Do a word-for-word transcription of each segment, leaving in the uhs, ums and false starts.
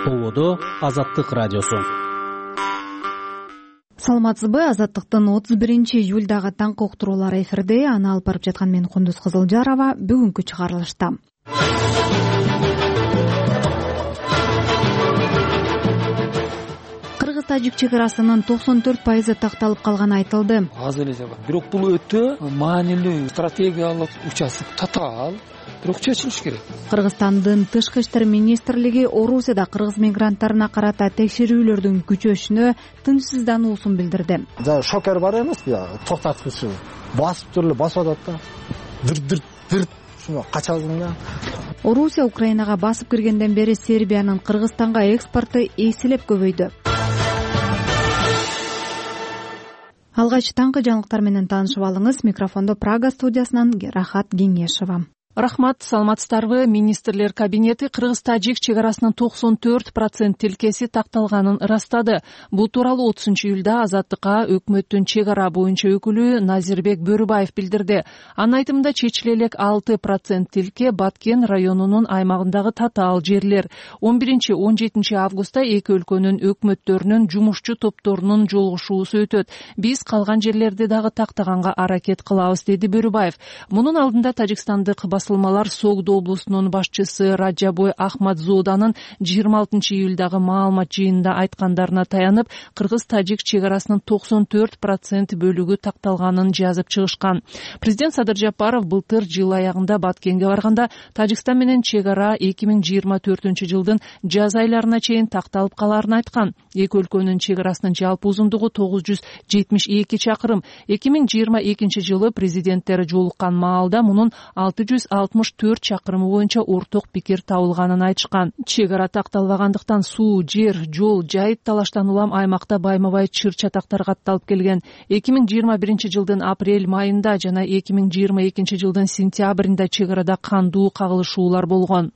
Ободо Азаттык радиосу. Саламатсызбы? Азаттыктын отуз биринчи июлдагы таңкы уктуруулары эфирде. Аны алып барып жаткан мен Кундуз Кызылжарова. Бүгүнкү чыгарылышта Кыргыз-Тажик чек арасынын токсон төрт пайызы такталып калганы айтылды. Аз эле жагат. Бирок бул өтө маанилүү стратегиялык участок, татаал. Бирок чечилиш керек. Кыргызстандын тышкы иштер министрлиги Орусияда кыргыз мигранттарына карата текшерүүлөрдүн күчөшүнө тынчсыздануусун билдирди. За шокер бар эмеспи? Токтоткучу басып туруп басып атат да. Дыр-дыр дыр шуну качасың да. Орусия Украинага басып киргенден бери Сербиянын Кыргызстанга экспорту эселеп көбөйдү. Алгач таңкы жаңылыктар менен таанышып алыңыз. Микрофондо Прага студиясынан Рахат Кеңешова. Рахмат, саламатсыздарбы? Министрлер кабинети Кыргыз-Тажик чек арасынын токсон төрт процент тилкеси такталганын ырастады. Бул тууралуу отузунчу июлда Азаттыкка өкмөттүн чек ара боюнча өкүлү Назирбек Бөрүбаев билдирди. Анын айтымында чечиле элек алты процент тилке Баткен районунун аймагындагы татаал жерлер. он биринчи он жетинчи августта эки өлкөнүн өкмөттөрүнүн жумушчу топторунун жолугушуусу өтөт. Биз калган жерлерди дагы тактаганга аракет кылабыз, деди Бөрүбаев. Мунун алдында Тажикстандык басылмалар Согдо облусунун башчысы Раджабой Ахмадзоданын жыйырма алтынчы июлдагы маалымат жыйынында айткандарына таянып, Кыргыз-Тажик чек арасынын токсон төрт процент бөлүгү такталганын жазып чыгышкан. Президент Садыр Жапаров былтыр жыл аягында Баткенге барганда Тажикстан менен чек ара эки миң жыйырма төртүнчү жылдын жаз айларына чейин такталып каларын айткан. Эки өлкөнүн чек арасынын жалпы узундугу тогуз жүз жетимиш эки чакырым. эки миң жыйырма экинчи жылы президенттер жолуккан маалда мунун алты жүз алтымыш төрт чакырымы боюнча орток пикир табылганын айтышкан. Чек ара такталбагандыктан суу, жер, жол, жайыт талаштан улам аймакта байма-бай чыр-чатактар катталып келген. эки миң жыйырма биринчи жылдын апрель майында жана эки миң жыйырма экинчи жылдын сентябрында чек арада кандуу кагылышуулар болгон.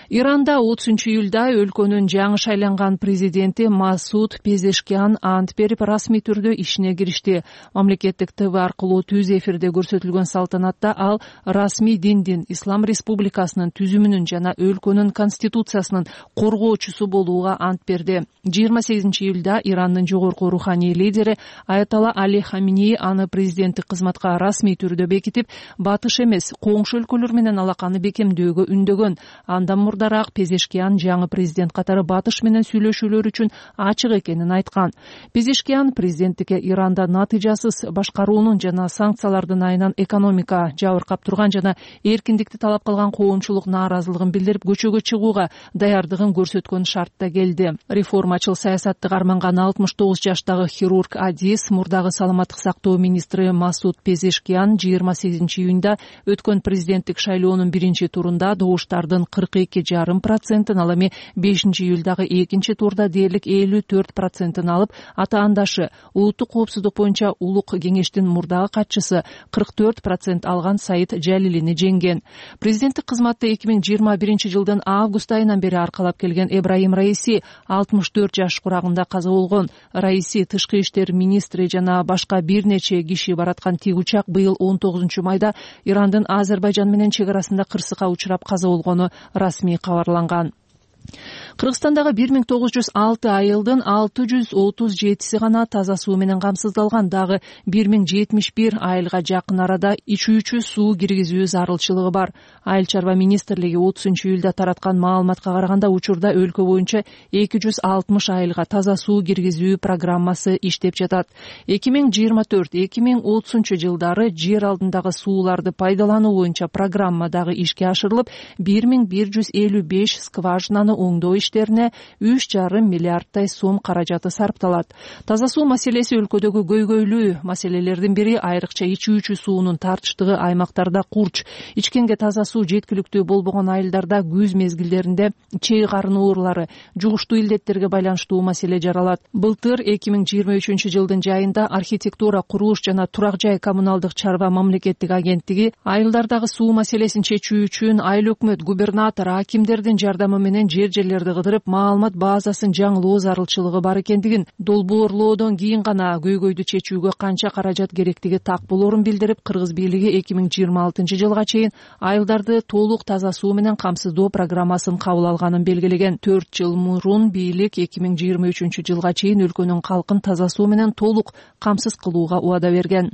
Иранда отузунчу июлда өлкөнүн жаңы шайланган президенти Масуд Пезешкиан ант берип расмий түрдө ишине киришти. Мамлекеттик ТВ аркылуу түз эфирде көрсөтүлгөн салтанатта ал расмий диндин, Ислам Республикасынын түзүмүнүн жана өлкөнүн конституциясынын коргоочусу болууга ант берди. жыйырма сегизинчи июлда Ирандын жогорку руханий лидери Аятолла Али Хаминеи аны президенттик кызматка расмий түрдө бекитип, батыш эмес, коңшу өлкөлөр менен алаканы бекемдөөгө үндөгөн. Андан мурдараак Пезешкиан жаңы президент катары батыш менен сүйлөшүүлөр үчүн ачык экенин айткан. Пезешкиан президенттикке Иранда натыйжасыз башкаруунун жана санкциялардын айынан экономика жабыркап турган жана эркиндикти талап кылган коомчулук нааразылыгын билдирип, көчөгө чыгууга даярдыгын көрсөткөн шартта келди. Реформачыл саясатты карманган алтымыш тогуз жаштагы хирург Адис, мурдагы саламаттык сактоо министри Масуд Пезешкиан жыйырма сегизинчи июнда өткөн президенттик шайлоонун биринчи турунда добуштардын кырк эки жарым процентин, ал эми бешинчи июлдагы экинчи турда дээрлик элүү төрт процентин алып, атаандашы улуттук коопсуздук боюнча улук кеңештин мурдагы катчысы кырк төрт процент алган Саид Жалилини жеңген. Президенттик кызматты эки миң жыйырма биринчи жылдын август айынан бери аркалап келген Эбрахим Раиси алтымыш төрт жаш курагында каза болгон. Раиси тышкы иштер министри жана башка бир нече киши бараткан тик учак быйыл он тогузунчу майда Ирандын Азербайжан менен чек арасында кырсыкка учурап каза болгону расмий кабарланган. Кыргызстандагы бир миң тогуз жүз алты айылдын алты жүз отуз жетиси гана таза суу менен камсыздалган. Дагы бир миң жетимиш бир айылга жакын арада ичүүчү суу киргизүү зарылчылыгы бар. Айыл чарба министрлиги отузунчу июлда тараткан маалыматка караганда учурда өлкө боюнча эки жүз алтымыш айылга таза суу киргизүү программасы иштеп жатат. эки миң жыйырма төрт эки миң отузунчу жылдары жер алдындагы сууларды пайдалануу боюнча программа дагы ишке ашырылып, бир миң бир жүз элүү беш скважинаны оңдоо иштерине үч жарым миллиардтай сом каражаты сарпталат. Таза суу маселеси өлкөдөгү көйгөйлүү маселелердин бири, айрыкча ичүүчү суунун тартыштыгы аймактарда курч. Ичкенге таза суу жеткиликтүү болбогон айылдарда күз мезгилдеринде чей карын оорулары, жугуштуу илдеттерге байланыштуу маселе жаралат. Былтыр эки миң жыйырма үчүнчү жылдын жайында архитектура, курулуш жана турак жай коммуналдык чарба мамлекеттик агенттиги айылдардагы суу маселесин чечүү үчүн айыл өкмөт, губернатор, акимдердин жардамы менен жер жерлерди кыдырып маалымат базасын жаңылоо зарылчылыгы бар экендигин, долбоорлоодон кийин гана көйгөйдү чечүүгө канча каражат керектиги так болорун билдирип, кыргыз бийлиги эки миң жыйырма алтынчы жылга чейин айылдарды толук таза суу менен камсыздоо программасын кабыл алганын белгилеген. төрт жыл мурун бийлик эки миң жыйырма үчүнчү жылга чейин өлкөнүн калкын таза суу менен толук камсыз кылууга убада берген.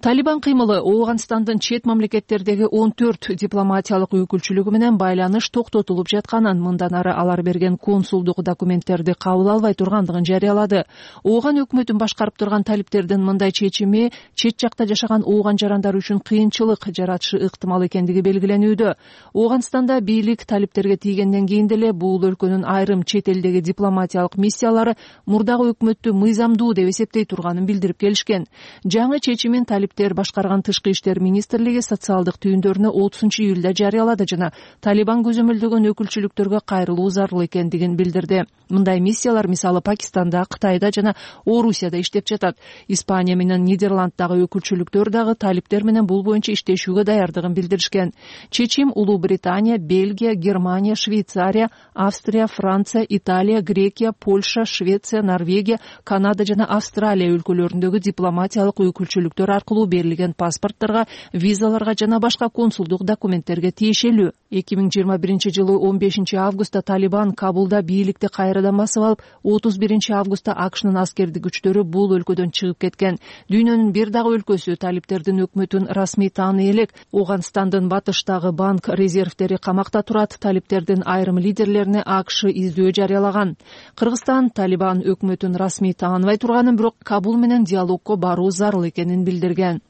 Талибан кыймылы Ооганстандын чет мамлекеттердеги он төрт дипломатиялык өкүлчүлүгү менен байланыш токтотулуп жатканын, мындан ары алар берген консулдук документтерди кабыл албай тургандыгын жарыялады. Ооган өкмөтүн башкарып турган талиптердин мындай чечими чет жакта жашаган ооган жарандар үчүн кыйынчылык жаратышы ыктымал экендиги белгиленүүдө. Ооганстанда бийлик талиптерге тийгенден кийин деле бул өлкөнүн айрым чет элдеги дипломатиялык миссиялары мурдагы өкмөттү мыйзамдуу деп эсептей турганын билдирип келишкен. Жаңы чечимин талип башкарган тышкы иштер министрлиги социалдык түйүндөрүнө отузунчу июлда жарыялады жана Талибан көзөмөлдөгөн өкүлчүлүктөргө кайрылуу зарыл экендигин билдирди. Мындай миссиялар мисалы Пакистанда, Кытайда жана Орусияда иштеп жатат. Испания менен Нидерланддагы өкүлчүлүктөр дагы талиптер менен бул боюнча иштешүүгө даярдыгын билдиришкен. Чечим Улуу Британия, Бельгия, Германия, Швейцария, Австрия, Франция, Италия, Грекия, Польша, Швеция, Норвегия, Канада жана Австралия өлкөлөрүндөгү дипломатиялык өкүлчүлүктөр аркылуу берилген паспорттарга, визаларга жана башка консулдук документтерге тиешелүү. эки миң жыйырма биринчи жылы он бешинчи августта Талибан Кабулда бийликти кайрадан басып алып, отуз биринчи августта АКШнын аскердик күчтөрү бул өлкөдөн чыгып кеткен. Дүйнөнүн бир дагы өлкөсү талиптердин өкмөтүн расмий тааный элек. Ооганстандын батыштагы банк резервдери камакта турат. Талиптердин айрым лидерлерине АКШ издөө жарыялаган. Кыргызстан Талибан өкмөтүн расмий тааныбай турганын, бирок Кабул менен диалогко баруу зарыл экенин билдирген.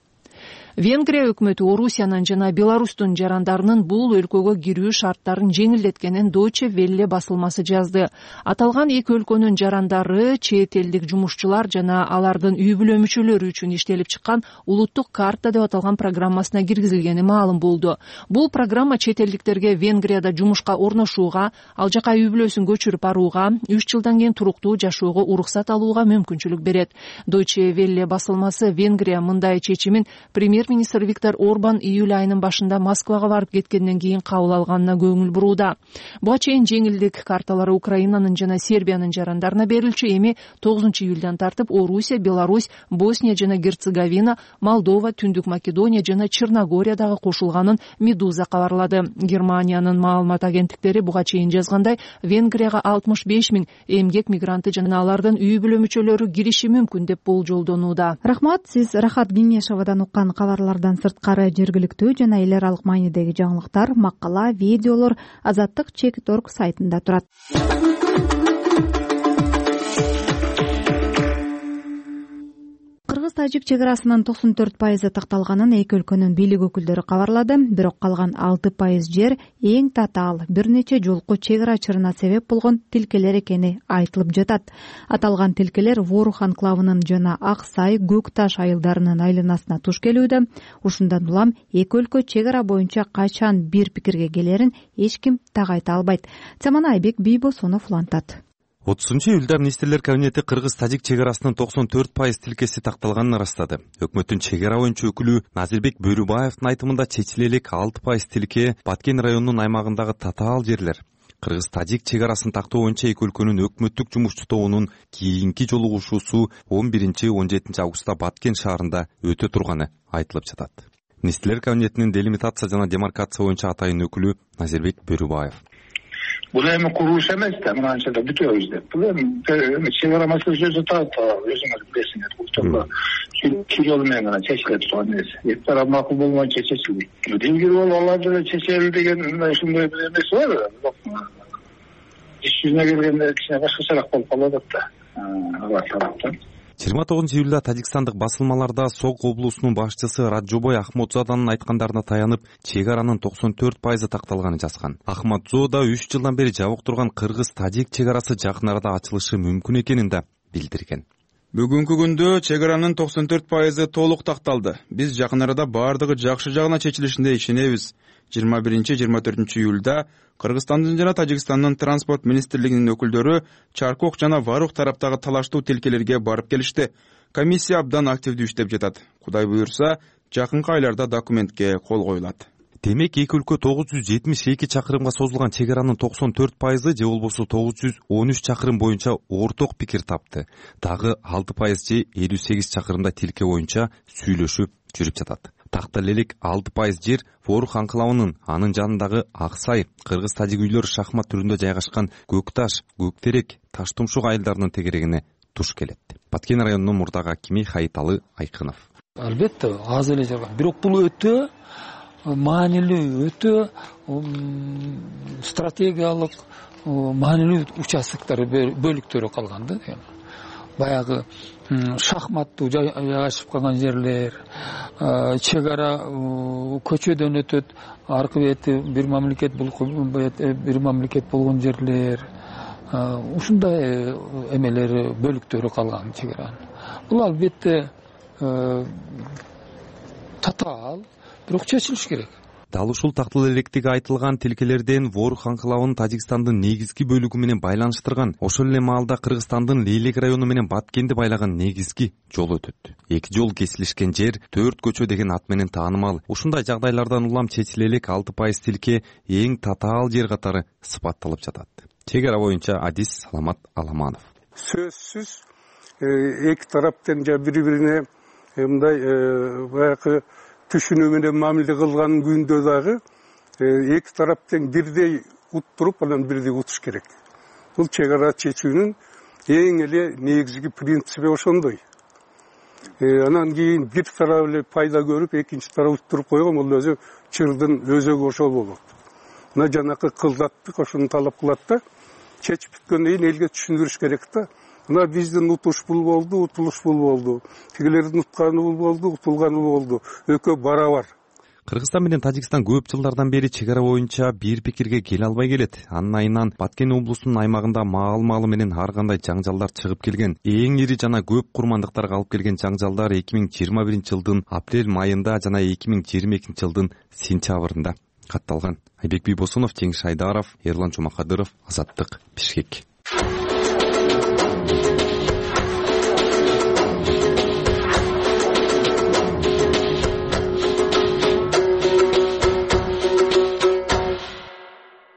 Венгрия өкмөтү Орусиянын жана Беларустун жарандарынын бул өлкөгө кирүү шарттарын жеңилдеткенин Deutsche Welle басылмасы жазды. Аталган эки өлкөнүн жарандары чет элдик жумушчулар жана алардын үй бүлө мүчөлөрү үчүн иштелип чыккан улуттук карта деп аталган программасына киргизилгени маалым болду. Бул программа чет элдиктерге Венгрияда жумушка орношууга, ал жака үй бүлөсүн көчүрүп барууга, үч жылдан кийин туруктуу жашоого уруксат алууга мүмкүнчүлүк берет. Deutsche Welle басылмасы Венгрия мындай чечимин премьер-министр Виктор Орбан июль айынын башында Москвага барып кеткенден кийин кабыл алганына көңүл бурууда. Буга чейин жеңилдик карталары Украинанын жана Сербиянын жарандарына берилчү, эми тогузунчу июлдан тартып Орусия, Беларусь, Босния жана Герцеговина, Молдова, Түндүк Македония жана Черногория дагы кошулганын Медуза кабарлады. Германиянын маалымат агенттиктери буга чейин жазгандай, Венгрияга алтымыш беш миң эмгек мигранты жана алардын үй бүлө мүчөлөрү кириши мүмкүн деп болжолдонууда. Рахмат, сиз Рахат Кеңешовадан уккан кабарлардан сырткары жергиликтүү жана эл аралык маанидеги жаңылыктар, макала, видеолор Азаттык чекит точка орг сайтында турат. Кыргыз-тажик чек арасынын токсон төрт пайызы такталганын эки өлкөнүн бийлик өкүлдөрү кабарлады. Бирок калган алты пайыз жер эң татаал бир нече жолку чек ара чырына себеп болгон тилкелер экени айтылып жатат. Аталган тилкелер Ворух анклавынын жана Ак Сай, Көк Таш айылдарынын айланасына туш келүүдө. Ушундан улам эки өлкө чек ара боюнча качан бир пикирге келерин эч ким так айта албайт. Цамана Айбек Бийбосонов улантат. отузунчу июлда министрлер кабинети кыргыз-тажик чек арасынын токсон төрт пайыз тилкеси такталганын ырастады. Өкмөттүн чек ара боюнча өкүлү Назирбек Бөрүбаевдин айтымында чечиле элек алты пайыз тилке Баткен районунун аймагындагы татаал жерлер. Кыргыз-тажик чек арасын тактоо боюнча эки өлкөнүн өкмөттүк жумушчу тобунун кийинки жолугушуусу он биринчи он жетинчи августта Баткен шаарында өтө турганы айтылып жатат. Министрлер кабинетинин делимитация жана демаркация боюнча атайын өкүлү Назирбек Бөрүбаев: Бул эми курулуш эмес да, мынанча да бүтөбүз деп. Бул эми чек ара маселеси өзү таап, өзүңөр билесиңер. Бул жолу чек жолу менен гана чечилет турган нерсе. Эки тарап макул болмойчу чечилбейт. Дилгир болуп аларды эле чечели деген ушундай бир эмеси бар. Иш жүзүнө келгенде кичине башкачараак болуп калып атат да. Алар тараптан. жыйырма тогузунчу июлда Тажикстандык басылмаларда Сок облусунун башчысы Раджобой Ахмадзоданын айткандарына таянып, чек аранын токсон төрт пайызы такталганын жазган. Ахмадзода үч жылдан бери жабык турган кыргыз-тажик чек арасы жакын арада ачылышы мүмкүн экенин да билдирген. Бүгүнкү күндө чек аранын токсон төрт пайызы толук такталды. Биз жакын арада бардыгы жакшы жагына чечилишине ишенебиз. жыйырма биринчи жыйырма төртүнчү июлда Кыргызстандын жана Тажикстандын транспорт министрлигинин өкүлдөрү Чаркок жана Варух тараптагы талаштуу тилкелерге барып келишти. Комиссия абдан активдүү иштеп жатат. Кудай буюрса, жакынкы айларда документке кол коюлат. демек эки өлкө тогуз жүз жетимиш эки чакырымга созулган чек аранын токсон төрт пайызы же болбосо тогуз жүз он үч чакырым боюнча орток пикир тапты. Дагы алты пайыз же элүү сегиз чакырымда тилке боюнча сүйлөшүп жүрүп жатат. Тактал элек алты пайыз жер Ворух анклавынын, анын жанындагы Ак Сай, кыргыз тажик үйлөр шахмат түрүндө жайгашкан Көк Таш, Көк Терек, Таш Тумшук айылдарынын тегерегине туш келет. Баткен районунун мурдак акими Хайыталы Айкынов. Албетте аз эле жарган, бирок бул өтө маанилүү, өтө стратегиялык маанилүү участоктор, бөлүктөрү калган да. Баягы шахматтуу жайгашып калган жерлер, чек ара көчөдөн өтөт, аркы бети бир мамлекет, бул бир мамлекет болгон жерлер, ушундай эмелери, бөлүктөрү калган чек аранын. Бул албетте татаал, бирок чечилиш керек. Дал ушул тактал электиги айтылган тилкелерден Ворух анклавын Тажикстандын негизги бөлүгү менен байланыштырган, ошол эле маалда Кыргызстандын Лейлек району менен Баткенди байлаган негизги жол өтөт. Эки жол кесилишкен жер төрт көчө деген ат менен таанымал. Ушундай жагдайлардан улам чечиле элек алты пайыз тилке эң татаал жер катары сыпатталып жатат. Чек ара боюнча Адис Саламат Аламанов. Сөзсүз эки тараптан жа бири-бирине мындай баягы түшүнүү менен мамиле кылган күндө дагы эки тараптан бирдей уттуруп, анан бирдей утуш керек. Бул чек ара чечүүнүн эң эле негизги принциби ошондой. Анан кийин бир тарап эле пайда көрүп, экинчи тарап уттуруп койгон, бул өзү чырдын өзөгү ошол болот. Мына жанакы кылдаттык ошону талап кылат да, чечип бүткөндөн кийин элге түшүндүрүш керек да. Мына биздин утуш бул болду, утулуш бул болду. Тигилердин утканы бул болду, утулганы болду. Экөө барабар. Кыргызстан менен Тажикстан көп жылдардан бери чек ара боюнча бир пикирге келе албай келет. Анын айынан Баткен облусунун аймагында маал-маалы менен ар кандай жаңжалдар чыгып келген. Эң ири жана көп курмандыктарга алып келген жаңжалдар эки миң жыйырма биринчи жылдын апрель майында жана эки миң жыйырма экинчи жылдын сентябрында катталган. Айбек Бийбосунов, Жеңиш Айдаров, Эрлан Жумакадыров, Азаттык, Бишкек.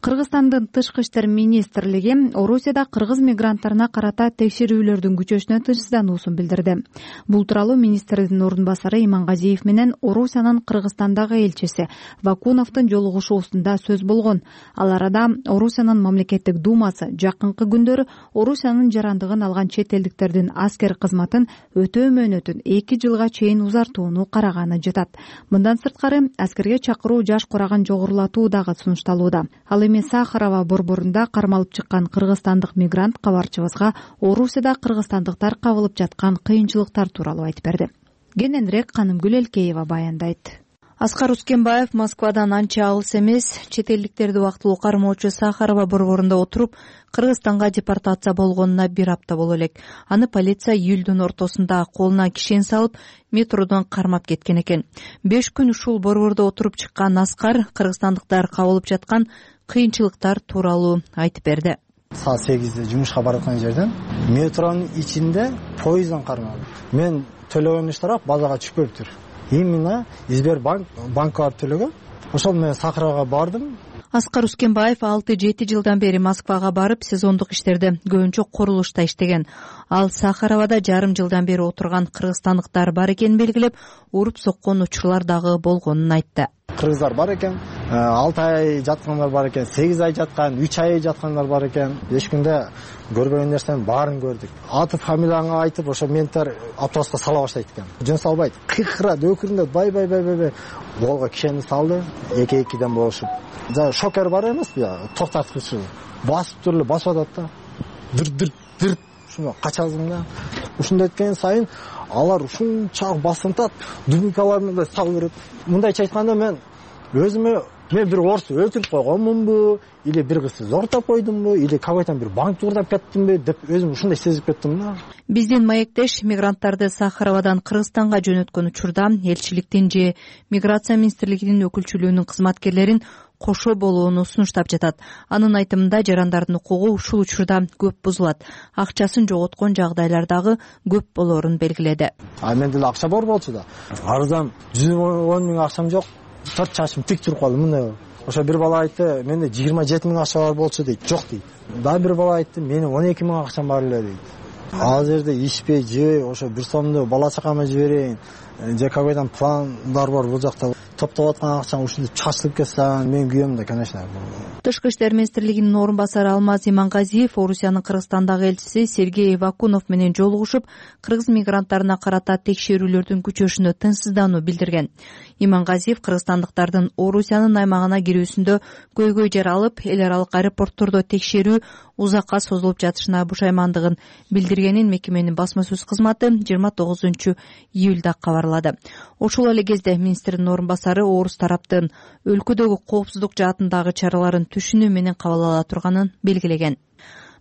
Кыргызстандын тышкы иштер министрлиги Орусияда кыргыз мигранттарына карата текшерүүлөрдүн күчөшүнө тынчсыздануусун билдирди. Бул тууралуу министрдин ордун басары Имангазиев менен Орусиянын Кыргызстандагы элчиси Вакуновдун жолугушуусунда сөз болгон. Ал арада Орусиянын мамлекеттик думасы жакынкы күндөрү Орусиянын жарандыгын алган чет элдиктердин аскер кызматын өтөө мөөнөтүн эки жылга чейин узартууну караганы жатат. Мындан сырткары аскерге чакыруу жаш кураган жогорулатуу дагы сунушталууда. Ал Сахарова борборунда кармалып чыккан кыргызстандык мигрант кабарчыбызга Орусияда кыргызстандыктар кабылып жаткан кыйынчылыктар тууралуу айтып берди. Кененирээк Канымгүл Элкеева баяндайт. Аскар Ускенбаев Москвадан анча алыс эмес, чет элдиктерди убактылуу кармоочу Сахарова борборунда отуруп, Кыргызстанга депортация болгонуна бир апта боло элек. Аны полиция июлдун ортосунда колуна кишен салып, метродон кармап кеткен экен. Беш күн ушул борбордо отуруп чыккан Аскар кыргызстандыктар кабылып жаткан кыйынчылыктар тууралуу айтып берди. Саат сегизде жумушка бараткан жерден метронун ичинде поезддан кармалып. Мен төлөгөн штраф базага түшпөптүр. Именно Сбербанк банкка барып төлөгөм. Ошол менен Сахарага бардым. Аскар Ускенбаев алты жети жылдан бери Москвага барып, сезондук иштерде көбүнчө курулушта иштеген. Ал Сахаровада жарым жылдан бери отурган кыргызстандыктар бар экенин белгилеп, уруп соккон учурлар дагы болгонун айтты. Кыргыздар бар экен, алты ай жаткандар бар экен, сегиз ай жаткан, үч ай жаткандар бар экен. Эч күндө көрбөгөн нерсенин баарын көрдүк. Аты фамилияңа айтып, ошо менттер автобуска сала баштайт экен. Жөн салбайт. Кыйкырат, өкүрүндөт, бай бай бай бай. Голго кишени салды, эки-экиден болушуп. За шокер бар эмеспи? Токтоткучу. Басып туруп басып атат да. Дыр-дыр-дыр ушуну качасың да. Ушундай эткен сайын алар ушунчалык басынтат, дубинкалар менен салып берет. Мындайча айтканда мен өзүмө мен бир орусу өлтүрүп койгонмунбу, или бир кызды зордоп койдумбу, или какой-то бир банк уурдап кеттимби деп өзүм ушундай сезип кеттим да. Биздин маектеш мигранттарды Сахаровадан Кыргызстанга жөнөткөн учурда элчиликтин же миграция министрлигинин өкүлчүлүгүнүн кызматкерлерин кошо болууну сунуштап жатат. Анын айтымында жарандардын укугу ушул учурда көп бузулат. Акчасын жоготкон жагдайлар дагы көп болоорун белгиледи. А мен деле акча бар болчу да. Арзан жүз он миң акчам жок. төрт чачым тик туруп калды мындай. Ошо бир бала айтты, менде жыйырма жети миң акча бар болчу дейт. Жок дейт. Дагы бир бала айтты, менин он эки миң акчам бар эле дейт. Азыр жерде ичпей, жебей, ошо бир сомду бала чакама жиберейин. Же какойдан пландар бар бул жакта. Топтоп аткан акчаң ушинтип чачылып кетсе, мен күйөм да, конечно. Тышкы иштер министрлигинин орун басары Алмаз Имангазиев Орусиянын Кыргызстандагы элчиси Сергей Вакунов менен жолугушуп, кыргыз мигранттарына карата текшерүүлөрдүн күчөшүнө тынчсыздануу билдирген. Имангазиев кыргызстандыктардын Орусиянын аймагына кирүүсүндө көйгөй жер алып, эл аралык аэропорттордо текшерүү узакка созулуп жатышына бушаймандыгын билдиргенин мекеменин басма сөз кызматы жыйырма тогузунчу июлда кабарлады. Ошол эле кезде министрдин орун басары орус тараптын өлкөдөгү коопсуздук жаатындагы чараларын түшүнүү менен кабыл ала турганын белгилеген.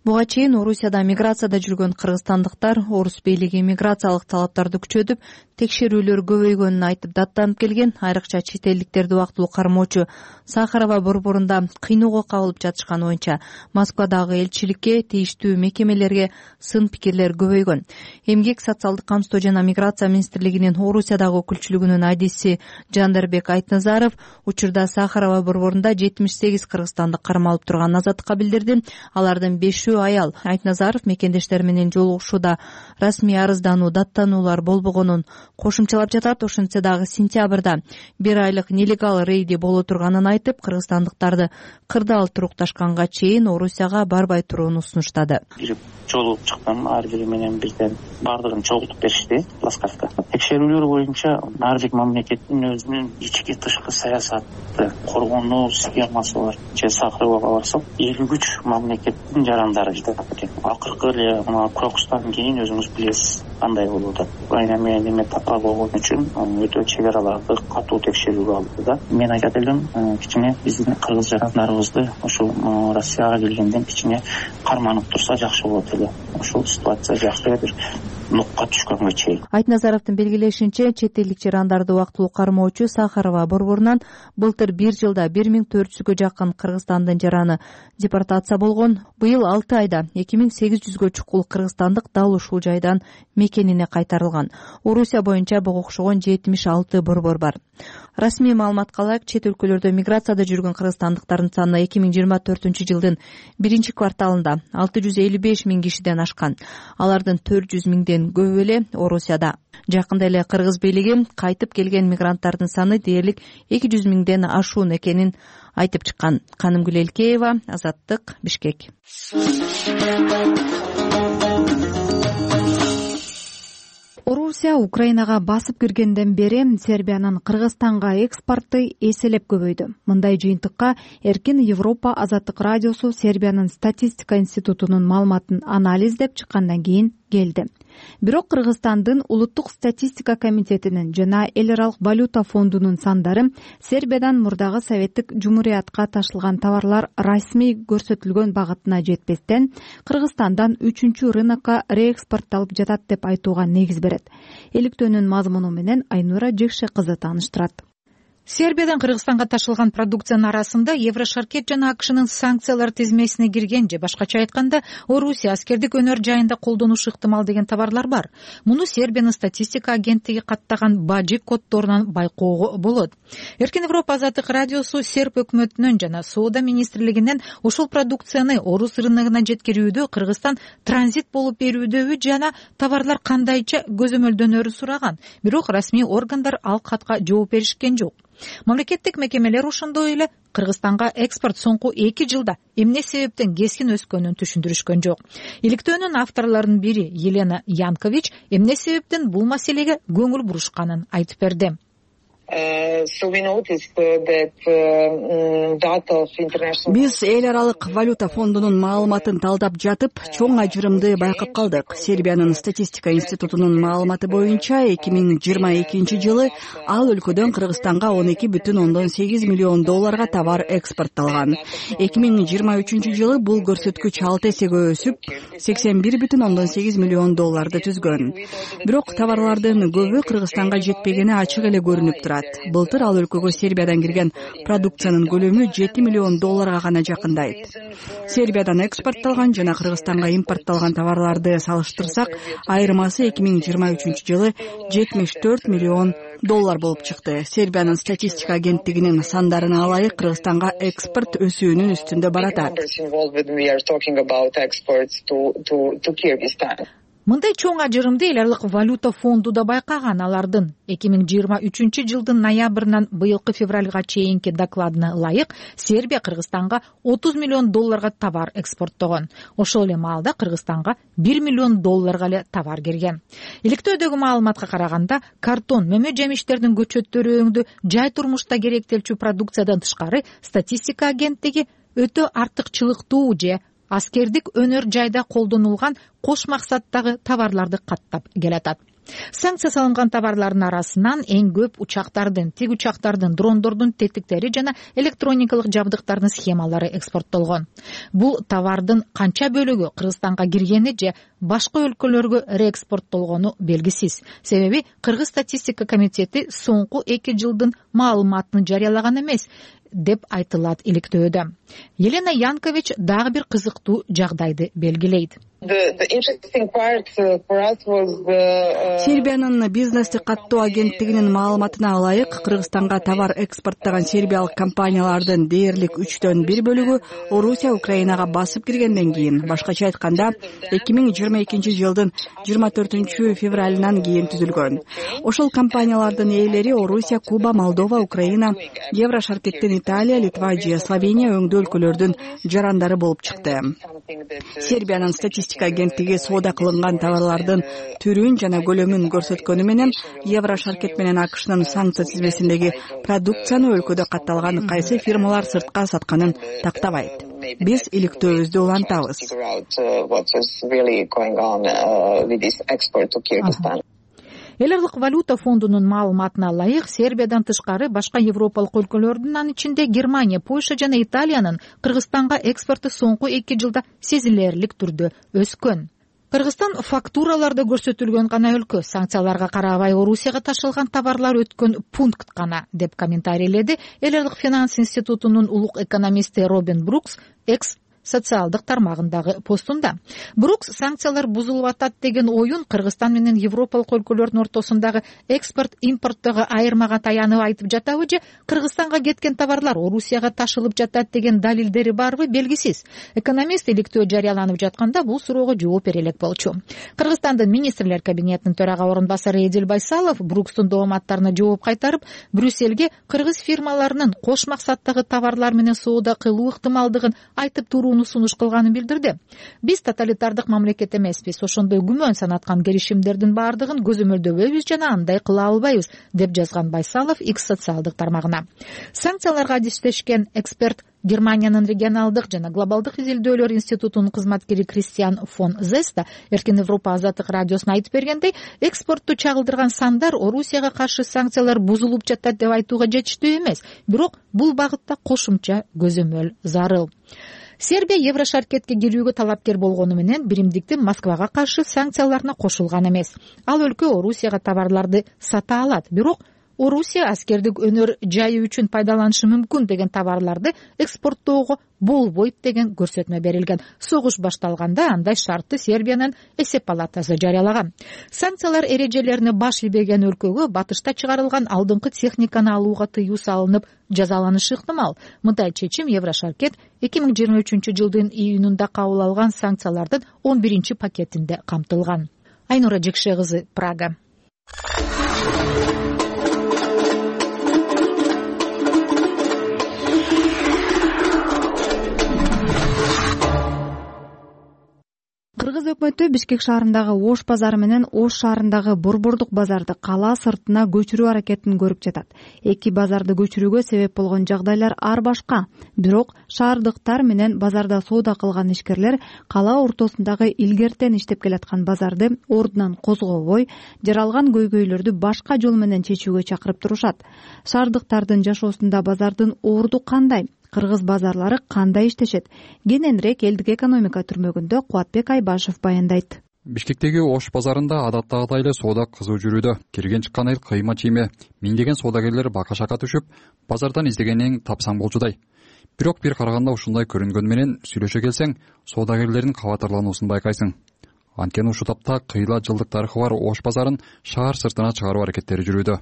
Буга чейин Орусияда миграцияда жүргөн кыргызстандыктар орус бийлиги миграциялык талаптарды күчөтүп, текшерүүлөр көбөйгөнүн айтып даттанып келген. Айрыкча чет элдиктерди убактылуу кармоочу Сахарова борборунда кыйноого кабылып жатышканы боюнча Москвадагы элчиликке, тийиштүү мекемелерге сын пикирлер көбөйгөн. Эмгек, социалдык камсыздоо жана миграция министрлигинин Орусиядагы өкүлчүлүгүнүн айдиси Жандербек Айтназаров учурда Сахарова борборунда жетимиш сегиз кыргызстандык кармалып турганын азаттыкка билдирди. Алардын бешөө аял. Айтназаров мекендештер менен жолугушууда расмий арыздануу, даттануулар болбогонун кошумчалап жатат. Ошентсе дагы сентябрда бир айлык нелегал рейди боло турганын айтып, кыргызстандыктарды кырдаал турукташканга чейин Орусияга барбай турууну сунуштады. Бир жолугуп чыктым, ар бири менен бирден бардыгын чогултуп беришти Ласкавка. Текшерүүлөр боюнча ар бир мамлекеттин өзүнүн ички тышкы саясаты, коргонуу схемасы бар. Же Сахаровага барсак, элүү үч мамлекеттин жарандары жатат экен. Акыркы эле мына Кыргызстандан кийин өзүңүз билесиз кандай болуп атат. Украина менен эме татаал болгон үчүн өтө чек араларды катуу текшерүүгө алды да. Мен айтат элем, кичине биздин кыргыз жарандарыбызды ошол Россияга келгенден кичине карманып турса жакшы болот эле. Ошол ситуация жакшы бир нукка түшкөнгө чейин. Айтназаровдун белгилешинче, чет элдик жарандарды убактылуу кармоочу Сахарова борборунан былтыр бир жылда бир миң төрт жүзгө жакын Кыргызстандын жараны депортация болгон. Быйыл алты айда эки миң сегиз жүзгө чукул кыргызстандык дал ушул жайдан мекенине кайтарылган. Орусия боюнча буга окшогон жетимиш алты борбор бар. Расмий маалыматка ылайык, чет өлкөлөрдө миграцияда жүргөн кыргызстандыктардын саны эки миң жыйырма төртүнчү жылдын биринчи кварталында алты жүз элүү беш миң кишиден ашкан. Алардын төрт жүз миңден көбү эле Орусияда. Жакында эле кыргыз бийлиги кайтып келген мигранттардын саны дээрлик эки жүз миңден ашуун экенин айтып чыккан. Канымгүл Элкеева, Азаттык, Бишкек. Орусия Украинага басып киргенден бери Сербиянын Кыргызстанга экспорту эселеп көбөйдү. Мындай жыйынтыкка Эркин Европа азаттык радиосу Сербиянын статистика институтунун маалыматын анализдеп чыккандан кийин келди. Бирок Кыргызстандын улуттук статистика комитетинин жана эл аралык валюта фондунун сандары Сербиядан мурдагы советтик жумуриятка ташылган товарлар расмий көрсөтүлгөн багытына жетпестен Кыргызстандан үчүнчү рынокко реэкспортталып жатат деп айтууга негиз берет. Иликтөөнүн мазмуну менен Айнура Жекше кызы тааныштырат. Сербиядан Кыргызстанга ташылган продукциянын арасында Еврошаркет жана АКШнын санкциялар тизмесине кирген же башкача айтканда Орусия аскердик өнөр жайында колдонушу ыктымал деген товарлар бар. Муну Сербиянын статистика агенттиги каттаган бажик коддорунан байкоого болот. Эркин Европа азаттык радиосу Серб өкмөтүнөн жана соода министрлигинен ушул продукцияны орус рыногуна жеткирүүдө Кыргызстан транзит болуп берүүдөбү жана товарлар кандайча көзөмөлдөнөрү сураган. Бирок расмий органдар ал катка жооп беришкен жок. Мамлекеттик мекемелер ошондой эле Кыргызстанга экспорт соңку эки жылда эмне себептен кескин өскөнүн түшүндүрүшкөн жок. Иликтөөнүн авторлорунун бири Елена Янкович эмне себептен бул маселеге көңүл бурушканын айтып берди. Биз эл аралык валюта фондунун маалыматын талдап жатып, чоң ажырымды байкап калдык. Сербиянын статистика институтунун маалыматы боюнча эки миң жыйырма экинчи жылы ал өлкөдөн Кыргызстанга он эки бүтүн ондон сегиз миллион долларга товар экспортталган. эки миң жыйырма үчүнчү жылы бул көрсөткүч алты эсеге өсүп, сексен бир бүтүн ондон сегиз миллион долларды түзгөн. Бирок товарлардын көбү Кыргызстанга жетпегени ачык эле көрүнүп турат. Былтыр ал өлкөгө Сербиядан кирген продукциянын көлөмү жети миллион долларга гана жакындайт. Сербиядан экспортталган жана Кыргызстанга импортталган товарларды салыштырсак, айырмасы эки миң жыйырма үчүнчү жылы жетимиш төрт миллион доллар болуп чыкты. Сербиянын статистика агенттигинин сандарына ылайык Кыргызстанга экспорт өсүүнүн үстүндө баратат. Мындай чоң ажырымды эл аралык валюта фонду да байкаган. Алардын эки миң жыйырма үчүнчү жылдын ноябрынан быйылкы февралга чейинки докладына ылайык Сербия Кыргызстанга отуз миллион долларга товар экспорттогон. Ошол эле маалда Кыргызстанга бир миллион долларга эле товар кирген. Иликтөөдөгү маалыматка караганда, картон, мөмө жемиштердин көчөттөрү өңдүү, жай турмушта керектелчү продукциядан тышкары статистика агенттиги өтө артыкчылыктуу же аскердик өнөр жайда колдонулган кош максаттагы товарларды каттап келатат. Санкция салынган товарлардын арасынан эң көп учактардын, тиг учактардын, дрондордун тетиктери жана электроникалык жабдыктардын схемалары экспорттолгон. Бул товардын канча бөлүгү Кыргызстанга киргени же башка өлкөлөргө реэкспорттолгону белгисиз. Себеби Кыргыз статистика комитети соңку эки жылдын маалыматын жарыялаган эмес деп айтылат иликтөөдө. Елена Янкович дагы бир кызыктуу жагдайды белгилейт. Сербиянын бизнести каттоо агенттигинин маалыматына ылайык, Кыргызстанга товар экспорттогон сербиялык компаниялардын дээрлик үчтөн бир бөлүгү Орусия, Украинага басып киргенден кийин, башкача айтканда, эки миң жыйырма экинчи жылдын жыйырма төртүнчү февралынан кийин түзүлгөн. Ошол компаниялардын ээлери Орусия, Куба, Молдова, Украина, Евро шаркеттен Италия, Литва же Словения өңдүү өлкөлөрдүн жарандары болуп чыкты. Сербиянын статистика агенттиги соода кылынган товарлардын түрүн жана көлөмүн көрсөткөнү менен Евро шаркет менен АКШнын санкция тизмесиндеги продукцияны өлкөдө катталган кайсы фирмалар сыртка сатканын тактабайт. Биз иликтөөбүздү улантабыз. Эл аралык валюта фондунун маалыматына ылайык, Сербиядан тышкары башка европалык өлкөлөрдүн, анын ичинде Германия, Польша жана Италиянын Кыргызстанга экспорту соңку эки жылда сезилерлик түрдө өскөн. Кыргызстан фактураларда көрсөтүлгөн гана өлкө, санкцияларга карабай Орусияга ташылган товарлар өткөн пункт гана, деп комментарийледи Эл аралык финанс институтунун улук экономисти Робин Брукс экс социалдык тармагындагы постунда. Брукс санкциялар бузулуп атат деген оюн Кыргызстан менен европалык өлкөлөрдүн ортосундагы экспорт-импорттогу айырмага таянып айтып жатабы же Кыргызстанга кеткен товарлар Орусияга ташылып жатат деген далилдери барбы белгисиз. Экономист иликтөө жарыяланып жатканда бул суроого жооп бере элек болчу. Кыргызстандын министрлер кабинетинин төрага орун басары Эдил Байсалов Брукстун дооматтарына жооп кайтарып, Брюссельге кыргыз фирмаларынын кош максаттагы товарлар менен соода кылуу ыктымалдыгын айтып туруу сунуш кылганын билдирди. Биз тоталитардык мамлекет эмеспиз, ошондой күмөн санаткан келишимдердин баардыгын көзөмөлдөбөйбүз жана андай кыла албайбыз, деп жазган Байсалов X социалдык тармагына. Санкцияларга адистешкен эксперт Германиянын регионалдык жана глобалдык изилдөөлөр институтунун кызматкери Кристиан фон Зеста Эркин Европа азаттык радиосуна айтып бергендей, экспортту чагылдырган сандар Орусияга каршы санкциялар бузулуп жатат деп айтууга жетиштүү эмес, бирок бул багытта кошумча көзөмөл зарыл. Сербия Евро шаркетке кирүүгө талапкер болгону менен биримдиктин Москвага каршы санкцияларына кошулган эмес. Ал өлкө Орусияга товарларды сата алат, бирок Орусия аскердик өнөр жайы үчүн пайдаланышы мүмкүн деген товарларды экспорттоого болбойт деген көрсөтмө берилген. Согуш башталганда андай шартты Сербиянын эсеп палатасы жарыялаган. Санкциялар эрежелерине баш ийбеген өлкөгө батышта чыгарылган алдыңкы техниканы алууга тыюу салынып жазаланышы ыктымал. Мындай чечим Евро шаркет эки миң жыйырма үчүнчү жылдын июнунда кабыл алган санкциялардын он биринчи пакетинде камтылган. Айнура Жекше кызы, Прага. Кыргыз өкмөтү Бишкек шаарындагы Ош базары менен Ош шаарындагы Борбордук базарды кала сыртына көчүрүү аракетин көрүп жатат. Эки базарды көчүрүүгө себеп болгон жагдайлар ар башка. Бирок шаардыктар менен базарда соода кылган ишкерлер кала ортосундагы илгертен иштеп келаткан базарды ордунан козгобой, жаралган көйгөйлөрдү башка жол менен чечүүгө чакырып турушат. Шаардыктардын жашоосунда базардын орду кандай? Кыргыз базарлары кандай иштешет? Кененирээк элдик экономика түрмөгүндө Кубатбек Айбашев баяндайт. Бишкектеги Ош базарында адаттагыдай эле соода кызуу жүрүүдө. Кирген чыккан эл кыйма чийме, миңдеген соодагерлер бака-шака түшүп, базардан издегениң тапсаң болчудай. Бирок бир караганда ушундай көрүнгөн менен сүйлөшө келсең, соодагерлердин кабатырлануусун байкайсың. Анткени ушул тапта кыйла жылдык тарыхы бар Ош базарын шаар сыртына чыгаруу аракеттери жүрүүдө.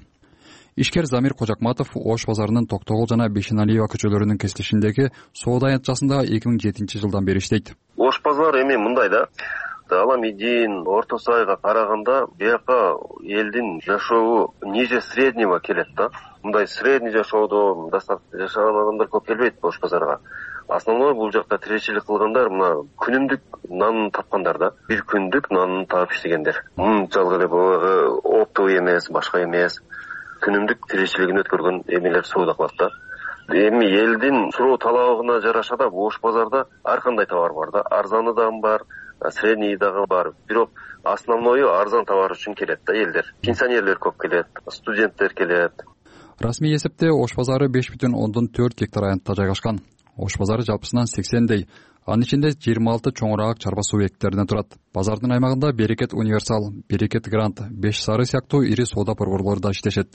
ишкер Замир Кожакматов Ош базарынын Токтогул жана Бейшеналиева көчөлөрүнүн кесилишиндеги соода аянтчасында эки миң жетинчи жылдан бери иштейт. Ош базар эми мындай да, Аламидин, Орто Сайга караганда бияка элдин жашообу ниже среднего келет да. Мындай средний жашоодо достаточно жашаган адамдар көп келбейт Ош базарга. Основной бул жакта тиричилик кылгандар мына күнүмдүк нанын тапкандар да. Бир күндүк нанын таап иштегендер. Мынчалык эле баягы оптовый эмес, башка эмес. Күнүмдүк тиричилигин өткөргөн эмелер соода кылат да. Эми элдин суроо талабына жараша да Ош базарда ар кандай товар бар да. Арзаны дагы бар, средний дагы бар. Бирок основною арзан товар үчүн келет да элдер. Пенсионерлер көп келет, студенттер келет. Расмий эсепте Ош базары беш бүтүн ондон төрт гектар аянтта жайгашкан. Ош базары жалпысынан сексендей, анын ичинде жыйырма алты чоңураак чарба субъекттеринен турат. Базардын аймагында Берекет Универсал, Берекет Грант, Беш Сары сыяктуу ири соода борборлору да иштешет.